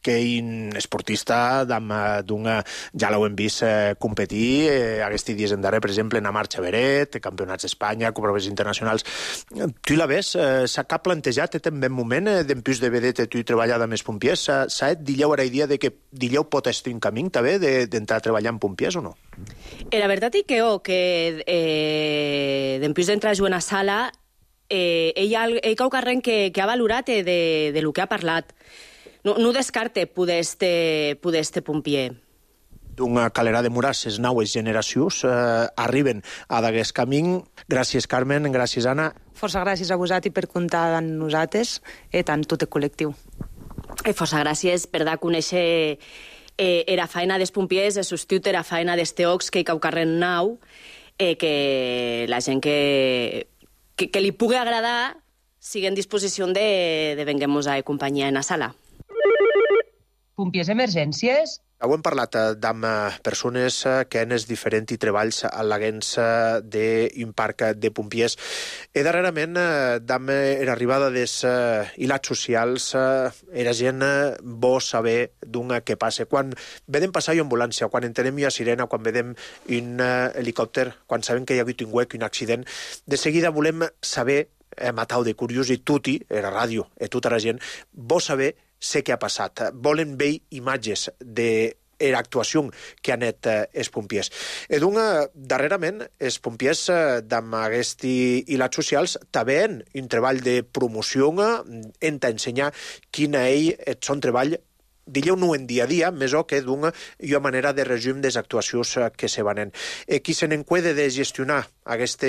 que un esportista ja l'hem vist competir aquests dies en darrer, per exemple, en la marxa Beret, campionats d'Espanya, proves internacionals. Tu la ves? S'ha cap plantejat en ben moment d'empús de vedet tu treballar amb els pompiers? S'ha dilleu la idea de que dilleu pot estar un camí també d'entrar a treballar amb pompiers o no? La veritat és que d'empús d'entrar a jugar a la sala ell cau carrent que ha valorat de lo que ha parlat. No descarte poder este pompier. D'una calera de murars, les noves generacions arriben a d'aquest camí. Gràcies, Carmen, gràcies, Anna. Força gràcies a vosaltres per comptar amb nosaltres i tant tot el col·lectiu. Força gràcies per dar a conèixer la feina dels pompiers, el substitut la feina dels teòcs que hi cau carrent nou, que la gent que li pugui agradar sigui en disposició de venguem-nos a acompanyar en la sala. Pompiers Emergències? Hem parlat amb persones que han es diferents treballs a l'agents d'un parc de pompiers. Darrerament, amb l'arribada dels hilats socials, era gent bo saber d'un què passa. Quan vedem passar una ambulància, quan entenem una sirena, quan vedem un helicòpter, quan sabem que hi ha hagut un huec, un accident, de seguida volem saber, matau de curiós, i tutti, era ràdio, i tota la gent, vol saber què ha passat. Volen veure imatges de l'actuació que han anat els pompiers. Darrerament, els pompiers amb aquests hilats socials també han un treball de promoció en t'ensenyar quin és el seu treball, digueu-no en dia a dia, més o que d'una manera de resum de les actuacions que se van. Qui se n'encuida de gestionar aquests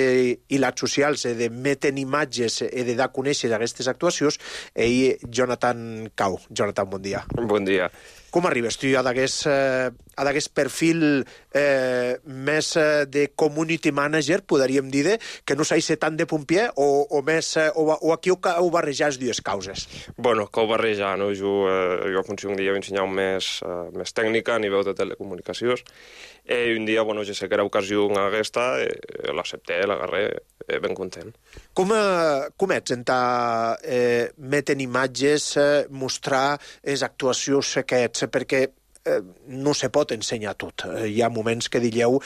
hilats socials, de metre imatges i de dar a conèixer aquestes actuacions, és Jonathan Cau. Jonathan, bon dia. Bon dia. Com arribes tu a d'aquest perfil més de community manager, podríem dir, que no s'ha tant de pompier, o aquí ho barrejar les dues causes? Bueno, que ho barrejar, no? Jo funciono un dia ensenyar més tècnica a nivell de telecomunicacions, i un dia, bueno, ja sé que era ocasió aquesta, l'accepté, l'agarré, ben content. Com ets en metre imatges, mostrar les actuacions que ets? Perquè no se pot ensenyar tot. Hi ha moments que dieu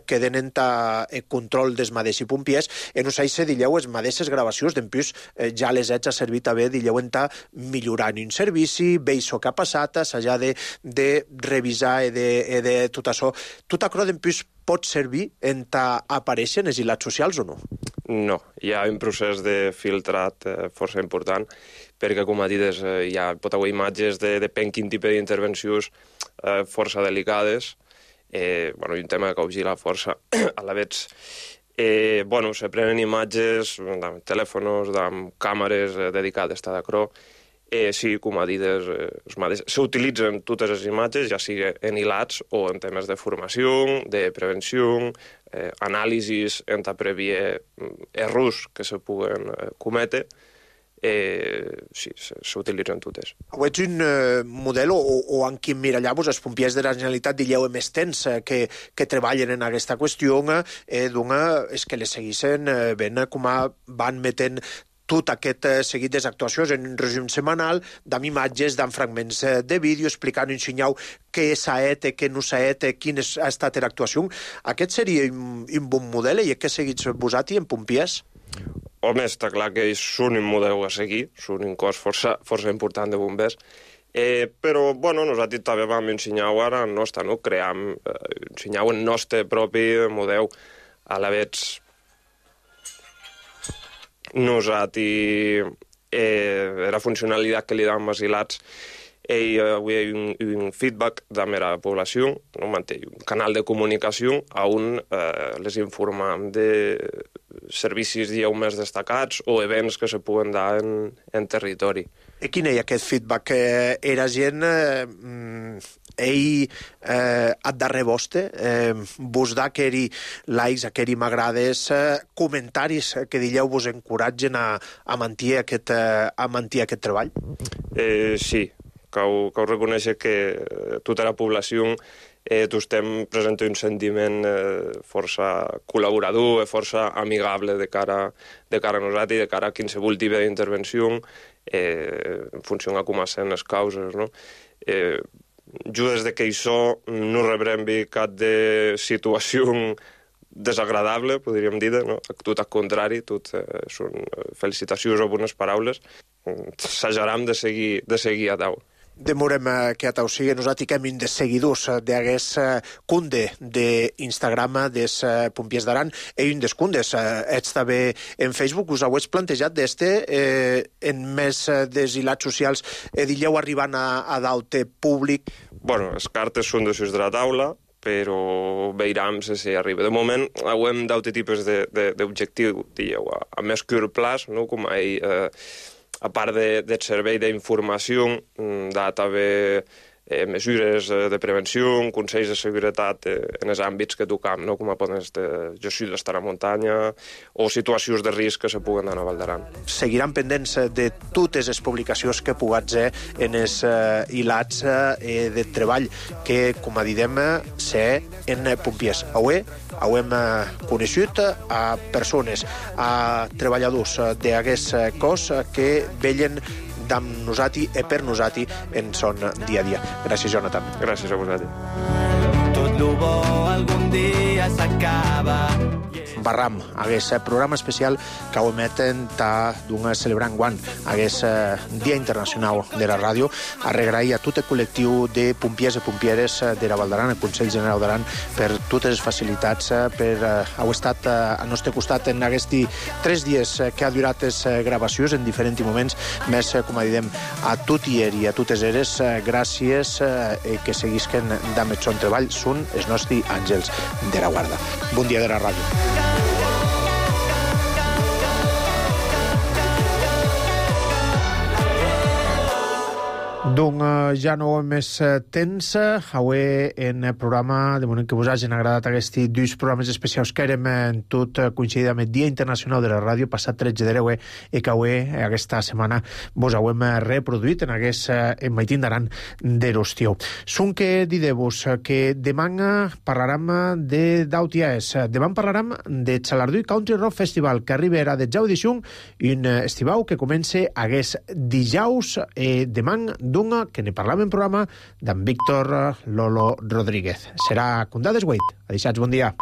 que tenen el control dels mateixos pompiers i no sé si dieu les mateixes gravacions d'empús ja les haig servit a bé, dieu en millorar un servici, veure el que ha passat, s'ha de revisar i de tot això. Tot això d'empús pot servir en aparèixer en els hilats socials o no? No, hi ha un procés de filtrat força important, perquè, com ha dit, pot haver imatges de depèn quin tipus d'intervencions força delicades, un tema que vigila força a la vegada. Se prenen imatges amb telèfons, amb càmeres dedicades a d'acrò. Sí, com ha dit, s'utilitzen totes les imatges, ja sigui en hilats o en temes de formació, de prevenció, anàlisis en prevenir errors que se puguen cometre. Sí, s'utilitzen totes. Ho ets un model o en quin mirallà-vos els pompiers de la Generalitat dieu més temps que treballen en aquesta qüestió és que les segueixen ben com van metent tot aquest seguit de actuacions en un resum setmanal, d'amb imatges, d'amb fragments de vídeo, explicant un senyal què s'ha fet, què no s'ha fet, quina ha estat l'actuació. Aquest seria un bon model i que seguits vosaltres en pompiers? Home, està clar que són un model a seguir, són un cos força important de bombers, però, nosaltres també vam ensenyar ara el nostre, ensenyar el nostre propi model a la vegada. Nosaltres, la funcionalitat que li dam als hilats, avui hi ha un feedback de la població, manté un canal de comunicació on les informem de servicis més destacats o events que se puguen dar en territori. I quin és aquest feedback? Era gent ad darrer vostre vos da aqueri likes, aqueri m'agrades, comentaris que dieu vos encoratgen a mantenir aquest treball? Sí, cal reconèixer que tota la població estem present un sentiment força col·laborador, força amigable de cara a nosaltres i de cara a qualsevol tipus d'intervenció en funció de com són les causes. Jo des que això no rebrem cap de situació desagradable, podríem dir, tot al contrari, tot són felicitacions o bones paraules. S'ajaram de seguir a dalt. Demorem que a tau sigui. Nosaltres hem un dels seguidors d'aquest cunde d'Instagram dels pompiers d'Aran i un dels cundes. Ets també en Facebook. Us heu plantejat en més dels hilats socials dieu arribant a dalt públic? Les cartes són damunt de la taula, però veurem si arriba. De moment, hem d'altres tipus d'objectiu, a més curt plaç, com a part del servei d'informació, de també mesures de prevenció, consells de seguretat en els àmbits que tocam, no? Com a poden gestió d'estar a muntanya o situacions de risc que se puguen anar a Val d'Aran. Seguiran pendents de totes les publicacions que puguin ser en els hilats de treball que, com a didem, ser en pompiers. Avui hem coneixut a persones, a treballadors d'aquest cos que vellen amb nosaltres i per nosaltres en son dia a dia. Gràcies, Jonathan. Gràcies a vosaltres. Tot lo bo algun dia s'acaba. Barram, aquest programa especial que ho emeten d'un celebrant guant, aquest Dia Internacional de la Ràdio, a regrair a tot el col·lectiu de pompiers i pompieres de la Val d'Aran, el Consell General d'Aran, per totes les facilitats, per haver estat al nostre costat en aquests 3 dies que ha durat les gravacions en diferents moments, més, com diem, a tot i a totes eres, gràcies que seguisquen amb el son treball, són els nostres àngels de la guarda. Bon dia de la ràdio. Doncs ja no més temps. Avui en el programa, de moment que vos hagin agradat aquests 2 programes especials que érem tot coincidit amb el Dia Internacional de la Ràdio, passat 13 de l'Eue, i que avui, aquesta setmana, vos ho hem reproduït en aquest Maitín d'Aran de l'estiu. Són que diré-vos que demà parlarem d'Autiaes. Demà parlarem de Xalardui Country Rock Festival, que arribarà de jau d'Ixung, i un estivau que comença aquest dijous demà que ne parlàvem en programa d'en Víctor Lolo Rodríguez. Serà Condades 8. Adeixats, bon dia.